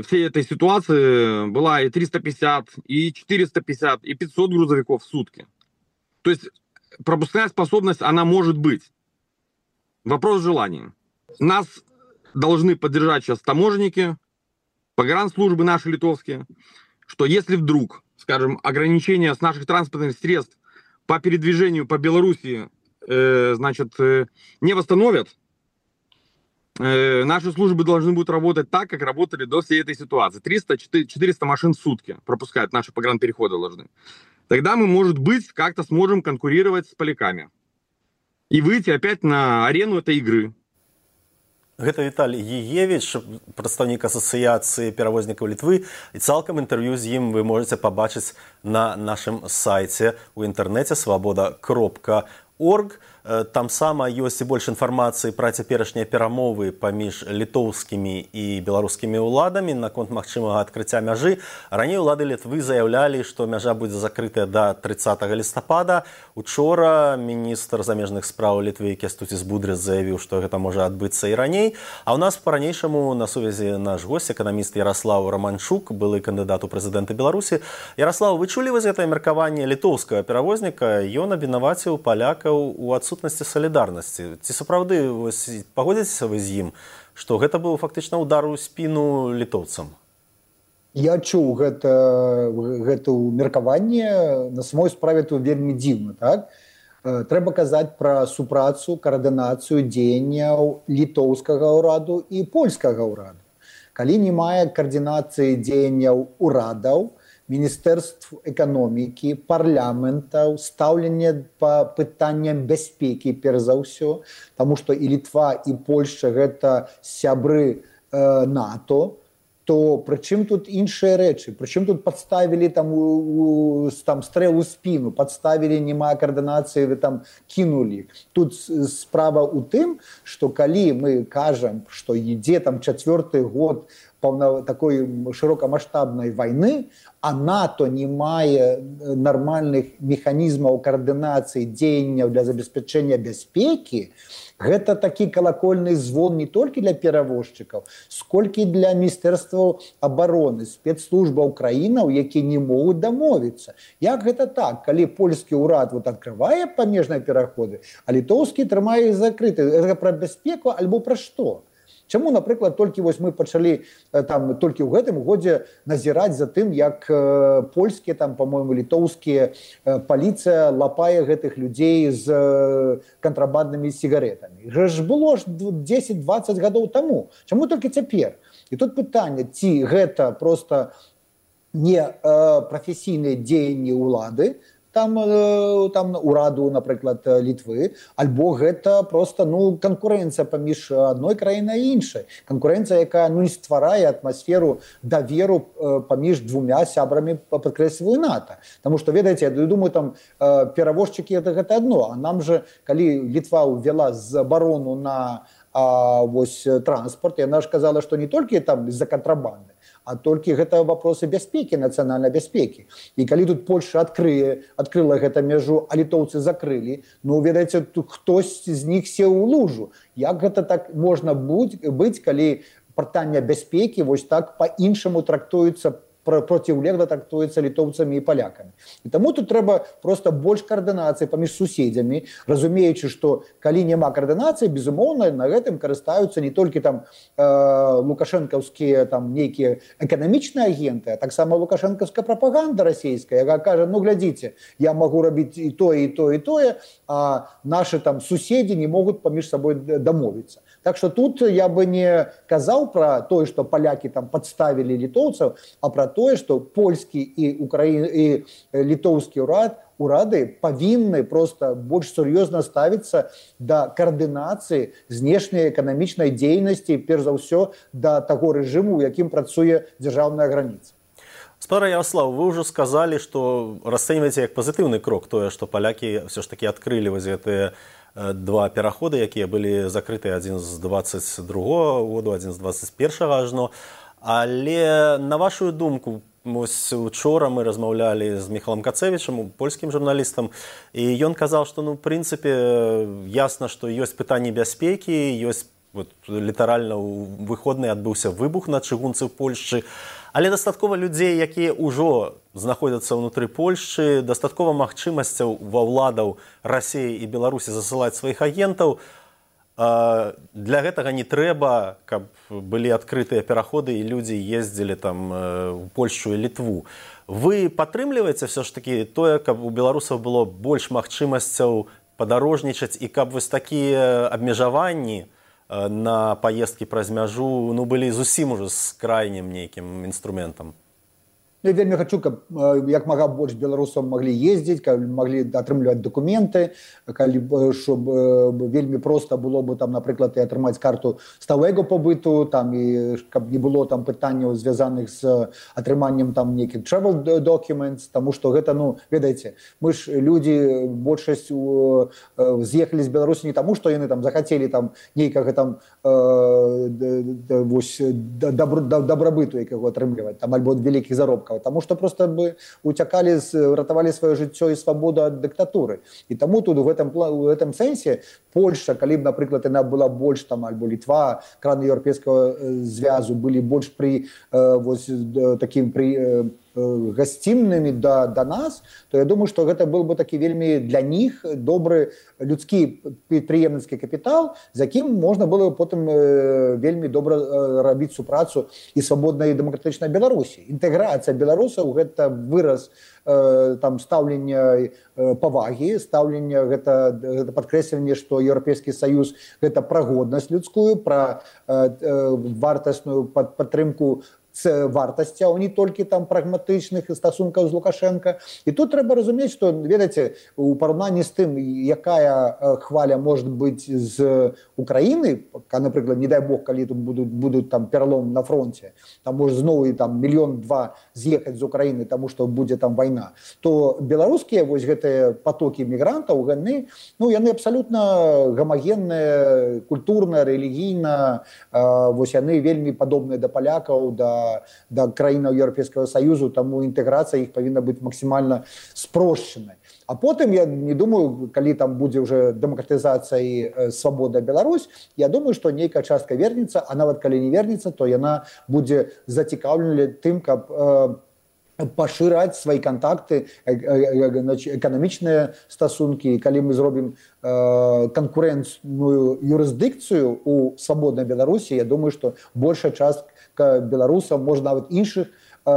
всей этой ситуации была и триста пятьдесят, и четыреста пятьдесят, и пятьсот грузовиков в сутки. То есть пропускная способность, она может быть. Вопрос желания. Нас должны поддержать сейчас таможенники, погранслужбы наши литовские, что если вдруг, скажем, ограничения с наших транспортных средств по передвижению по Белоруссии, э, значит, э, не восстановят, э, наши службы должны будут работать так, как работали до всей этой ситуации. триста-четыреста машин в сутки пропускают наши погранпереходы должны. Тогда мы, может быть, как-то сможем конкурировать с поляками и выйти опять на арену этой игры. Гэта Віталій Гієвіч, прадстаўнік асацыяцыі перавознікаў Літвы, і цалкам інтэрв'ю з ім вы можете пабачыць на нашым сайце у інтэрнэце свабода кропка орг. Там сама ёсць і больш інфармацыі пра цяперашнія перамовы паміж літоўскімі і беларускімі ўладамі наконт магчымага адкрыцця мяжы. Раней улады Літвы заяўлялі, што мяжа будзе закрытая да трыццатага лістапада. Учора міністр замежных спраў Літвы Кястуціс Будрыц заявіў, што гэта можа адбыцца і раней. А ў нас па-ранейшаму на сувязі наш госць, эканаміст Яраслаў Раманчук, былы кандыдат у прэзідэнты Беларусі. Яраслаў, вы чулі вы з гэтае меркаванне літоўскага перавозніка? Ён абвінаваціў палякаў у адсутнасці солідарнасці. Ці сапраўды пагодзіцеся вы з ім, што гэта быў фактычна удар у спіну літоўцам? Я чуў гэта, гэта меркаванне, на самой справе то вельмі дзіўна, так? Трэба казаць пра супрацу, каардынацыю дзеянняў літоўскага ўраду і польскага ўраду. Калі не мае каардынацыі дзеянняў урадаў, Міністэрств эканомікі, парламентаў, стаўленне па пытанням бяспекі, перш за ўсё, таму што і Літва, і Польшча гэта сябры э, НАТО, то прычым тут іншыя рэчы? Прычым тут падставілі там, у, у, там стрэл у спіну, падставілі, не мае каардынацыі, вы там кінулі. Тут справа ў тым, што калі мы кажам, што ідзе там чацвёрты год такой шырокамаштабнай вайны, а НАТО не мае нармальных механізмаў каардынацыі дзеянняў для забеспячэння бяспекі, гэта такі калакольны звон не толькі для перавозчыкаў, сколькі для міністэрстваў абароны, спецслужбаў краінаў, якія не могуць дамовіцца. Як гэта так, калі польскі ўрад вот адкрывае памежныя пераходы, а літоўскі трымае іх закрыты? Гэта пра бяспеку альбо пра што? Чаму, напрыклад, толькі вось мы пачалі там толькі ў гэтым годзе назіраць за тым, як э, польскія, там, па-мойму, літоўскія э, паліцыя лапае гэтых людзей з э, кантрабанднымі сігаретамі. Гэта ж было ж дзесяць-дваццаць гадоў таму. Чаму толькі цяпер? І тут пытанне, ці гэта проста не э, прафесійныя дзеянні ўлады, там, там ураду, напрыклад, Літвы, альбо гэта просто ну, канкурэнцыя паміж адной краінай і іншай. Канкурэнцыя, якая ну, не стварае атмасферу даверу паміж двумя сябрамі, падкрэсліваю, НАТО. Таму што, ведаеце, я думаю, там перавозчыкі гэта, гэта адно, а нам же, калі Літва ўвяла забарону на а, вось, транспорт, яна ж казала, што не толькі там з-за кантрабанды, а толькі гэта вопросы бяспекі, нацыянальнай бяспекі. І калі тут Польша адкрые, адкрыла гэта мяжу, а літоўцы закрылі, ну, ведаеце, хтось з них сеў у лужу. Як гэта так можна быць, калі пытанне бяспекі вось так па-іншаму трактуецца, проціўлегла трактуецца літоўцамі і палякамі. І таму тут трэба проста больш каардынацыі паміж суседзямі, разумеючы, што калі няма каардынацыі, безумоўна, на гэтым карыстаюцца не толькі там э, лукашэнкаўскія там нейкія эканамічныя агенты, а таксама лукашэнкаўская прапаганда расійская, якая кажа, ну глядзіце, я магу рабіць і тое, і тое, і тое, а нашы там суседзі не могуць паміж сабой дамовіцца. Так што тут я бы не казаў пра тое, што палякі там падставілі літоўцаў, а пра тое, што польскі і, Украін... і літоўскі ўрад, урады павінны проста больш сур'ёзна ставіцца да каардынацыі знешняй эканамічнай дзейнасці, перш за ўсё, да таго рэжыму, у якім працуе дзяржаўная граніца. Спадар Ярослав, вы ўжо сказалі, што расцэньваеце як пазітыўны крок тое, што палякі ўсё ж такі адкрылі вось гэтыя два пераходы, якія былі закрытыя адзін з дваццаць другога году, адзін з дваццаць першага ажно. Але на вашу думку, вось учора мы размаўлялі з Міхалам Кацевічам, польскім журналістам, і ён казаў, што ну, в прынцыпе ясна, што ёсць пытанні бяспекі, ёсць вот, літаральна ў выходныя адбыўся выбух на чыгунцы ў Польшчы, але дастаткова людзей, якія ўжо знаходзяцца ўнутры Польшчы, дастаткова магчымасцяў ва ўладаў Расіі і Беларусі засылаць сваіх агентаў. Для гэтага не трэба, каб былі адкрытыя пераходы і людзі ездзілі там у Польшчу і Літву. Вы падтрымліваеце все ж такі тое, каб у беларусаў было больш магчымасцяў падарожнічаць і каб вось такія абмежаванні на паездкі праз мяжу ну, былі зусім ужо з крайнім нейкім інструментам? Я вельмі хочу, каб як мага больш беларусаў маглі ездзіць, каб маглі атрымліваць дакументы, калі щоб вельмі проста было бы там, напрыклад, і атрымаць карту сталага побыту, там і каб не было там пытанняў звязаных з атрыманнем там нейкіх travel documents, тому што гэта, ну, ведаеце, мы ж людзі большасць з'ехалі з Беларусі не таму, што яны там захацелі там нейкага там вось дабрабыту якога атрымліваць, там альбо вялікіх заробкаў. Потому что просто бы утекали, ратовали свое жыццё и свободу от диктатуры. И тому тут в этом, в этом сенсе Польша, калі б, напрыклад, яна была больш там, альбо Літва, краны еўрапейскага звязу былі больш при э, вось, таким при э, гасціннымі да, да нас, то я думаю, што гэта был бы такі вельмі для них добры людскі прадпрыемніцкі капітал, з якім можна было потым э, вельмі добра э, рабіць супрацу і свабоднай і дэмакратычнай Беларусі. Інтэграцыя беларусаў гэта выраз э, там стаўлення э, павагі, стаўлення гэта, гэта падкрэсленне, што Еўрапейскі Саюз гэта пра годнасць людскую, пра э, э, вартасную пад, падтрымку вартасцяў, не толькі там прагматычных стасункаў з Лукашенко. І тут трэба разумець, што, ведаеце, у параўнанні з тым, якая хваля может быць з Украіны, напрыклад, не дай бог, калі тут будуць, будуць там пералом на фронте, там можа зноў і там мільён-два з'ехаць з Украіны, таму што будзе там вайна, то беларускія вось гэтыя потокі мігрантаў, яны, ну, яны абсалютна гамагенныя, культурна, рэлігійна, вось яны вельмі падобныя да палякаў, да да краінаў Еўрапейскага Саюзу, таму інтэграцыя іх павінна быць максімальна спрошчанай. А потым, я не думаю, калі там будзе ўжо дэмакратызацыя і свабода Беларусь, я думаю, што нейкая частка вернецца, а нават калі не вернецца, то яна будзе зацікаўлена тым, каб э, пашыраць свае кантакты, эканамічныя стасункі. І калі мы зробім э, канкурэнцыйную юрысдыкцыю у свабоднай Беларусі, я думаю, што большая частка беларусаў, можа нават іншых э,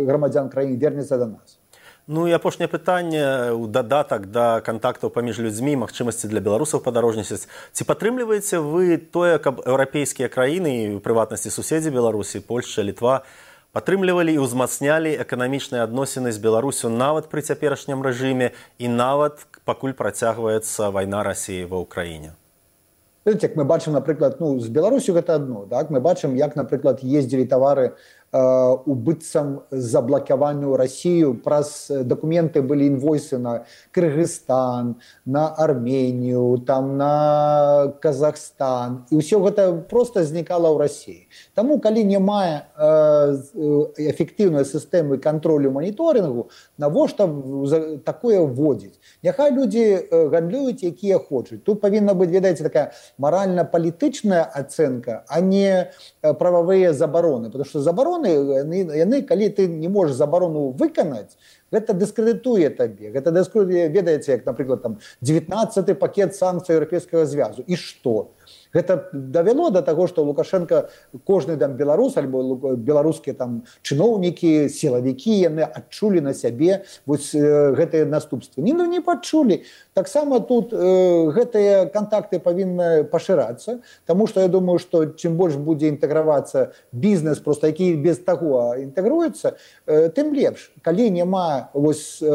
грамадзян краіны вернецца да нас. Ну і апошняе пытанне ў дадатак да кантактаў паміж людзьмі, магчымасці для беларусаў падарожнічаць. Ці падтрымліваеце вы тое, каб еўрапейскія краіны, у прыватнасці суседзі Беларусі, Польшча, Літва, падтрымлівалі і ўзмацнялі эканамічныя адносіны з Беларусю нават пры цяперашнім рэжыме і нават пакуль працягваецца вайна Расіі ва ўкраіне? Видите, як мы бачым, напрыклад, ну, з Беларусю гэта адно, так? Мы бачым, як, напрыклад, ездзілі тавары у быццам заблакаваную Расію, праз дакументы былі інвойсы на Кыргызстан, на Арменію, там на Казахстан, і ўсё гэта проста знікала ў Расіі. Таму, калі няма эфектыўнай сістэмы кантролю маніторынгу, навошта такое вводзіць? Няхай людзі гандлююць, якія хочуць. Тут павінна быць, ведаеце, такая маральна-палітычная ацэнка, а не прававыя забароны, потому што забароны Яны, яны, калі ты не можаш забарону выканаць, гэта дыскрэдытуе табе. Гэта дыскрэдытуе, ведаеце, як, напрыклад, там дзевятнаццаты пакет санкцый Еўрапейскага звязу. І што? Гэта давяло да таго, што Лукашенко, кожны там беларус, альбо беларускія там чыноўнікі, сілавікі, яны адчулі на сябе вось гэтыя наступствы. Не, ну, не пачулі. Таксама тут э, гэтыя кантакты павінны пашырацца, таму што я думаю, што чым больш будзе інтэгравацца бізнес, просто які без таго інтэгруецца, э, тым лепш. Калі няма вось э,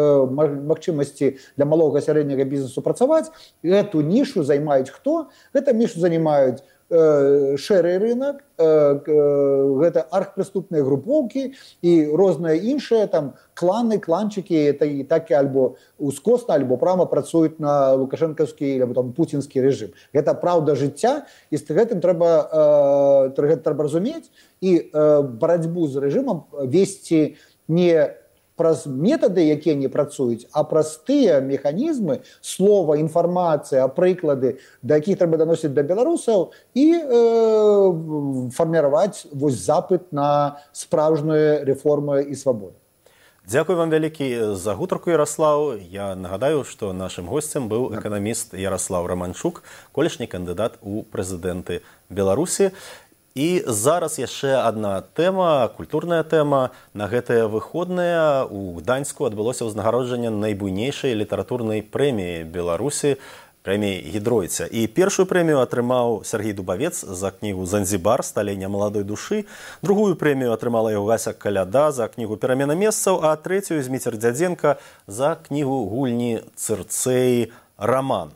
магчымасці для малога сярэдняга бізнесу працаваць, гэту нішу займаюць хто? Гэта нішу займаюць э, шэры рынок, э, э, гэта архпрыступныя групоўкі і розныя іншыя там кланы, кланчыкі, это і так альбо ускосна, альбо прама працуюць на лукашэнкаўскі або там пуцінскі рэжым. Гэта праўда жыцця, і з гэтым трэба, э, трэба разумець і э, барацьбу з рэжымам весці не праз метады, якія не працуюць, а праз тыя механізмы, слова, інфармацыя, прыклады, да якіх трэба даносіць да беларусаў і э, фарміраваць вось запыт на справжнюю рэформу і свабоду. Дзякуй вам вялікі за гутарку, Ярослаў. Я нагадаю, што нашым госцем быў эканаміст Ярослаў Романчук, колішні кандыдат у прэзідэнты Беларусі. І зараз яшчэ адна тэма, культурная тэма. На гэтыя выходныя у Гданьску адбылося ўзнагароджанне найбуйнейшай літаратурнай прэміі Беларусі, прэміі Гідройця. І першую прэмію атрымаў Сергій Дубавец за кнігу «Занзібар. Сталення маладой душы». Другую прэмію атрымала яго Гася Каляда за кнігу «Перамена месцаў», а трэцюю Зміцер Дзядзенка за кнігу «Гульні Цырцэі. Раман».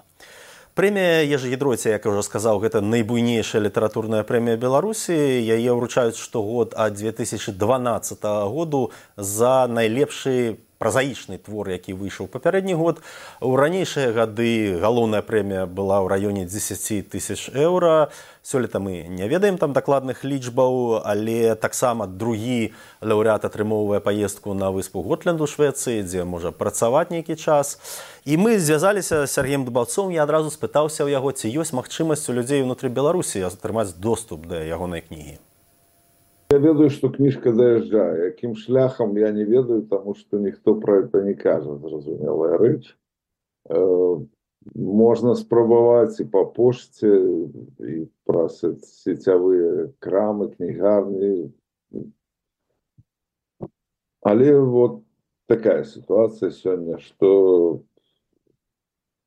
Прэмія Ежы Гідройца, як я ўжо сказаў, гэта найбуйнейшая літаратурная прэмія Беларусі. Яе ўручаюць штогод ад дзве тысячы дванаццатага году за найлепшы празаічны твор, які выйшаў папярэдні год. У ранейшыя гады галоўная прэмія была ў раёне дзесяці тысяч еўра. Сёлета мы не ведаем там дакладных лічбаў, але таксама другі лаўрэат атрымоўвае паездку на выспу Готланд у Швецыі, дзе можа працаваць нейкі час. І мы звязаліся з Сергеем Дубаўцом, я адразу спытаўся ў яго, ці ёсць магчымасць у людзей унутры Беларусі атрымаць доступ да ягонай кнігі. Я ведаю, что книжка доезжае. Яким шляхом, я не ведаю, потому что никто про это не кажет, зразумелая рэч. Э, можно спрабаваць и по почте, и праз сетевые крамы, книгарни. Але вот такая ситуация сегодня, что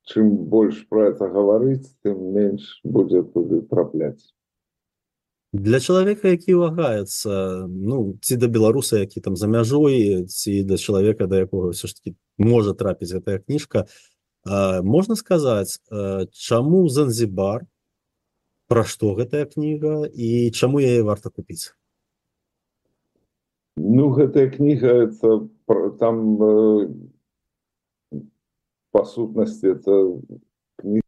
чем больше про это говорить, тем меньше будет туды траплять. Для чалавека, які вагаецца, ну, ці да беларуса, які там за мяжой, ці да чалавека, да якога ўсё ж таки можа трапіць гэтая кніжка, а, можна сказаць, а, чаму Занзібар, пра што гэтая кніга і чаму яе варта купіць? Ну, гэтая кніга, это, там, э, по сутнасці, это кніга,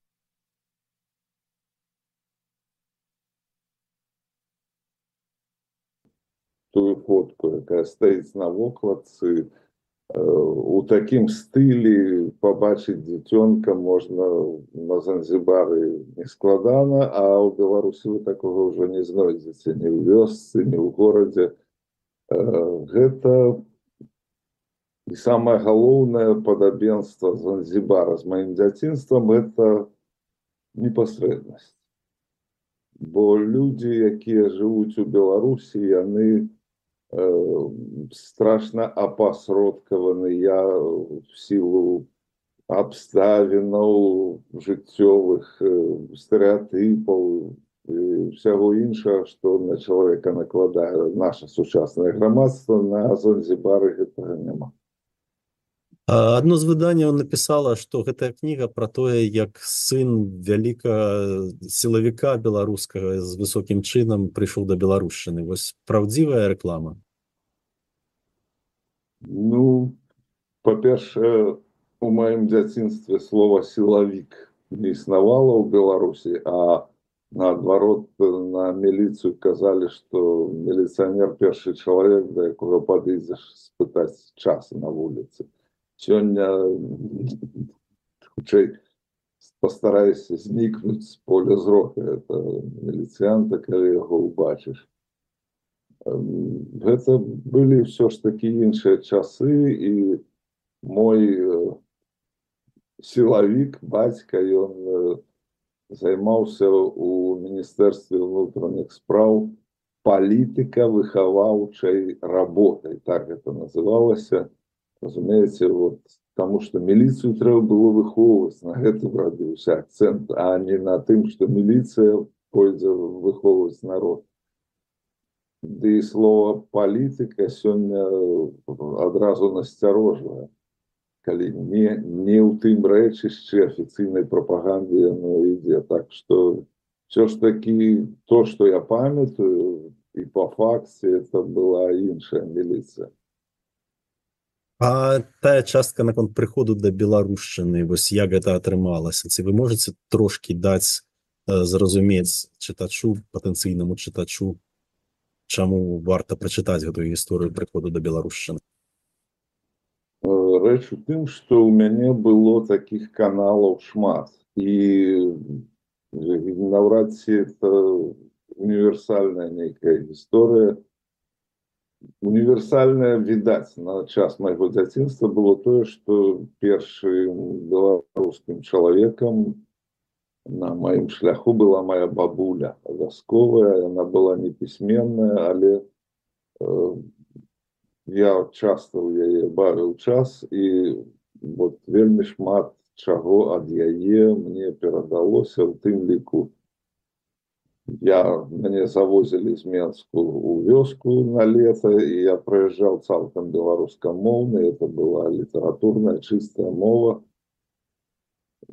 тую фотку, якая стаіць на вокладцы. У такім стылі пабачыць дзіцёнка можна на Занзібары нескладана, а ў Беларусі вы такога ўжо не знойдзеце ні ў вёсцы, ні ў горадзе. Гэта і самае галоўнае падабенства Занзібара з маім дзяцінствам — гэта непасрэднасць. Бо людзі, якія жывуць у Беларусі, яны страшна апасродкаваныя в сілу абставінаў жыццёвых, стэрэатыпаў і ўсяго іншага, што на чалавека накладае наша сучаснае грамадства. На Занзібары гэтага няма. Адно з выданняў напісала, што гэтая кніга пра тое, як сын вялікага сілавіка беларускага з высокім чынам прыйшоў да беларушчыны. Вось праўдзівая рэклама? Ну, па-першае, у маім дзяцінстве слова «сілавік» не існавала ў Беларусі, а наадварот на міліцыю казалі, што міліцыянер — першы чалавек, да якога падыдзеш спытаць час на вуліцы. Сёння, хутчэй, пастарайся знікнуць з поля зроку. Это міліцыянта, калі яго ўбачыш. Гэта былі ўсё ж такі іншыя часы, і мой сілавік, бацька, ён займаўся у Міністэрстве ўнутраных спраў палітыка-выхаваўчай работай, так гэта называлася. Разумееце, вот, таму што міліцыю трэба было выхоўваць, на гэтым рабіўся акцэнт, а не на тым, што міліцыя пойдзе выхоўваць народ. Ды і слова «палітыка» сёння адразу насцярожвае, калі не, не ў тым рэчышчы афіцыйнай прапаганды яно ідзе. Так што ўсё ж такі то, што я памятаю, і па факце, это была іншая міліцыя. А тая частка наконт прыходу да беларушчыны, вось як гэта атрымалася? Ці вы можаце трошкі даць зразумець чытачу, патэнцыйнаму чытачу, чаму варта прачытаць гэтую гісторыю прыходу да беларушчыны? Рэч у тым, што ў мяне было такіх каналаў шмат. І наўрад ці это універсальная нейкая гісторыя. універсальнае відаць на час майго дзяцінства было тое, што першым беларускім чалавекам на маім шляху была моя бабуля вясковая. Яна была непісьменная, але э, я часта ў яе бавіў час, і вот вельмі шмат чаго ад яе мне перадалося, у тым ліку я, мяне завозілі з Менску ў вёску на лета, і я прыязджаў цалкам беларускамоўны, это была літаратурная чыстая мова.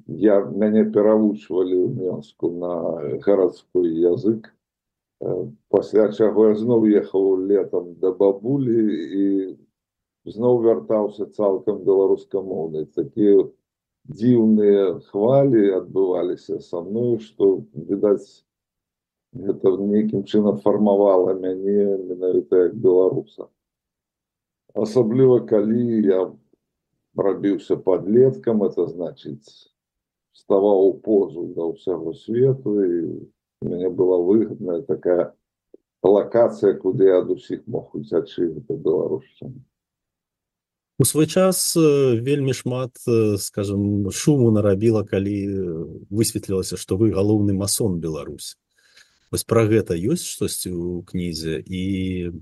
Я, мяне перавучвалі ў Менску на гарадскі язык, пасля чаго я зноў ехаў летам да бабулі і зноў вяртаўся цалкам беларускамоўны. Такія дзіўныя хвалі адбываліся са мной, што, відаць, гэта нейкім чынам фармавала мяне менавіта як беларуса. Асабліва, калі я рабіўся падлеткам, это значыць, вставаў у позу да ўсяго свету, і у мяне была выгадная такая лакацыя, куды я ад усіх мог уцячы, гэта беларушчына. У свой час вельмі шмат, скажем, шуму нарабіла, калі высветлілася, што вы галоўны масон Беларусі. Вось пра гэта ёсць штосьці ў кнізе, і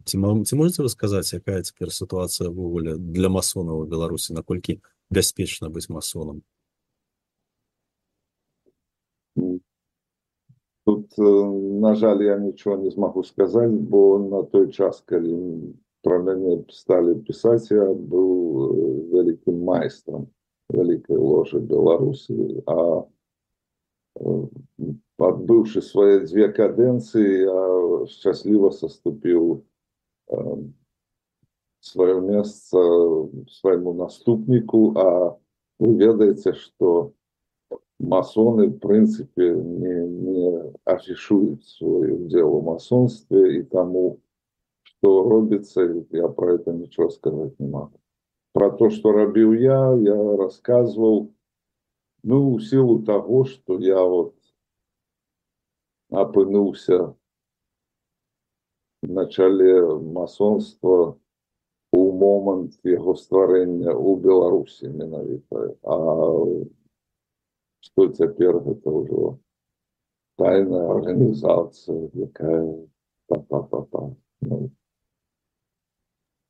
ці, ці можаце вы сказаць, якая цяпер сітуацыя ўвогуле для масонаў у Беларусі, наколькі бяспечна быць масонам? Тут, на жаль, я нічого не змагу сказаць, бо на той час, калі пра мяне сталі пісаць, я быў вялікім майстрам вялікай ложы Беларусі, а адбыўшы свае дзве кадэнцыі, я шчасліва саступіў сваё месца свайму наступніку, а вы ведаеце, што масоны, в прынцыпе, не, не афішуюць свой удзел у масонстве, і таму, што робіцца, я пра гэта нічого сказаць не магу. Пра то, што рабіў я, я расказваў, ну, у сілу таго, што я вот апынуўся на чале масонства у момант яго стварэння ў Беларусі менавіта. А што цяпер, гэта ўжо тайная арганізацыя, якая та-та-та-та. Ну.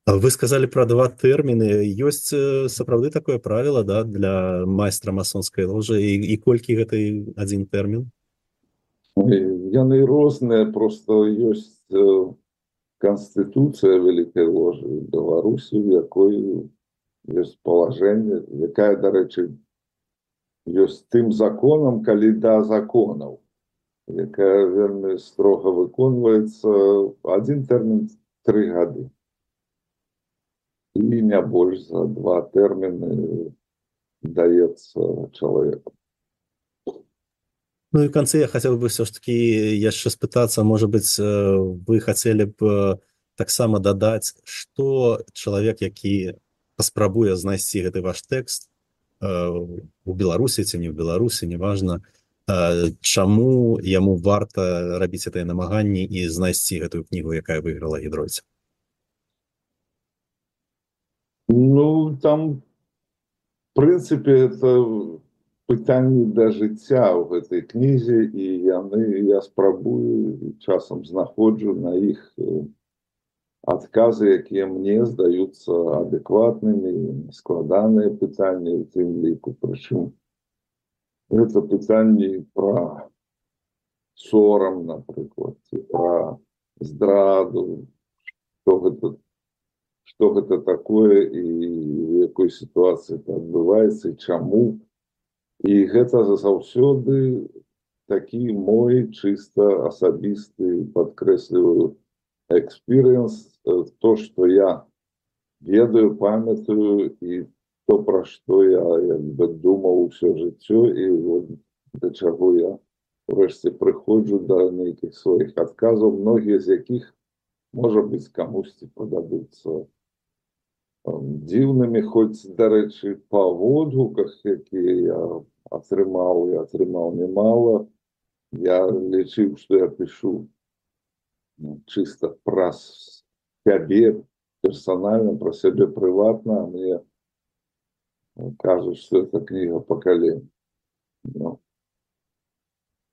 Вы сказалі пра два тэрміны. Ёсць сапраўды такое правіла, да, для майстра масонскай ложы, і, і колькі гэта адзін тэрмін? Яны розныя, просто ёсць канстытуцыя вялікай ложы Беларусі, у якой ёсць палажэнне, якая, дарэчы, ёсць тым законам, калі да законаў, якая вельмі строга выконваецца. Адзін тэрмін тры гады. І не больш за два тэрміны даецца чалавеку. Ну і в конце я хотел бы все-таки яшчэ спытацца, может быть, вы хотели б таксама дадаць, што чалавек, які паспрабуе знайсці гэты ваш тэкст у Беларусі ці не ў Беларусі, неважна, чаму яму варта рабіць гэтыя намаганні і знайсці гэтую кнігу, якая выйграла Гідройца? Ну, там, в прынцыпе, это пытанні да жыцця ў гэтай кнізе, і яны, я спрабую, часам знаходжу на іх адказы, якія мне здаюцца адэкватнымі, складаныя пытанні ў тым ліку. Прычым, гэта пытанні пра сорам, напрыклад, ці пра здраду, што гэта што гэта такое і в якой сітуацыі это адбываецца і чаму. І гэта заўсёды такі мой чыста асабісты, падкрэсліваю, экспірыенс, то, што я ведаю, памятаю, і то, пра што я як бы думаў усё жыццё, і вот да чаго я урэшце прыходжу да нейкіх сваіх адказаў, многія з якіх, можа быць, камусьці пададуцца дзіўнымі, хоць, дарэчы, па водгуках, якія я атрымаў, і атрымаў немало, я лічыў, што я пішу чыста праз сябе персанальна, пра сябе прыватна, мне кажуць, што это кніга пакалення. Ну,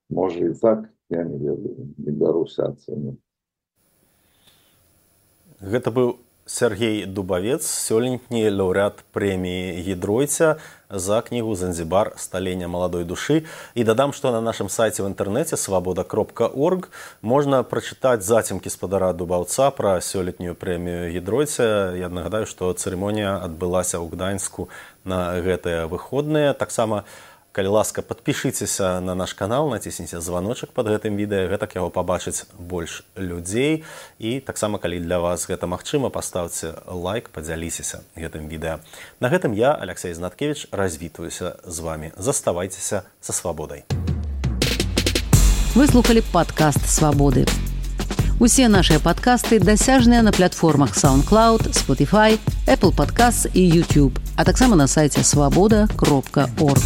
можа і так, я не ведаю, не бяруся ацэньваць. Гэта быў Сергей Дубавец, сёлетні лаўрэат прэміі Гідройця за кнігу «Занзібар. Сталення маладой душы». І дадам, што на нашым сайце ў інтэрнэце свабода кропка орг можна прачытаць зацемкі спадара Дубаўца пра сёлетнюю прэмію Гідройця. Я нагадаю, што цырымонія адбылася ў Гданьску на гэтыя выходныя. Таксама, калі ласка, падпішыцеся на наш канал, націсніце званочак пад гэтым відэа, гэтак яго пабачыць больш людзей. І таксама, калі для вас гэта магчыма, паставце лайк, падзяліцеся гэтым відэа. На гэтым я, Алексей Знаткевич, развітваюся з вами. Заставайцеся са свабодай. Вы слухали падкаст «Свабоды». Усе нашыя падкасты дасяжныя на платформах SoundCloud, Spotify, Apple Podcasts і YouTube, а таксама на сайце свабода кропка орг.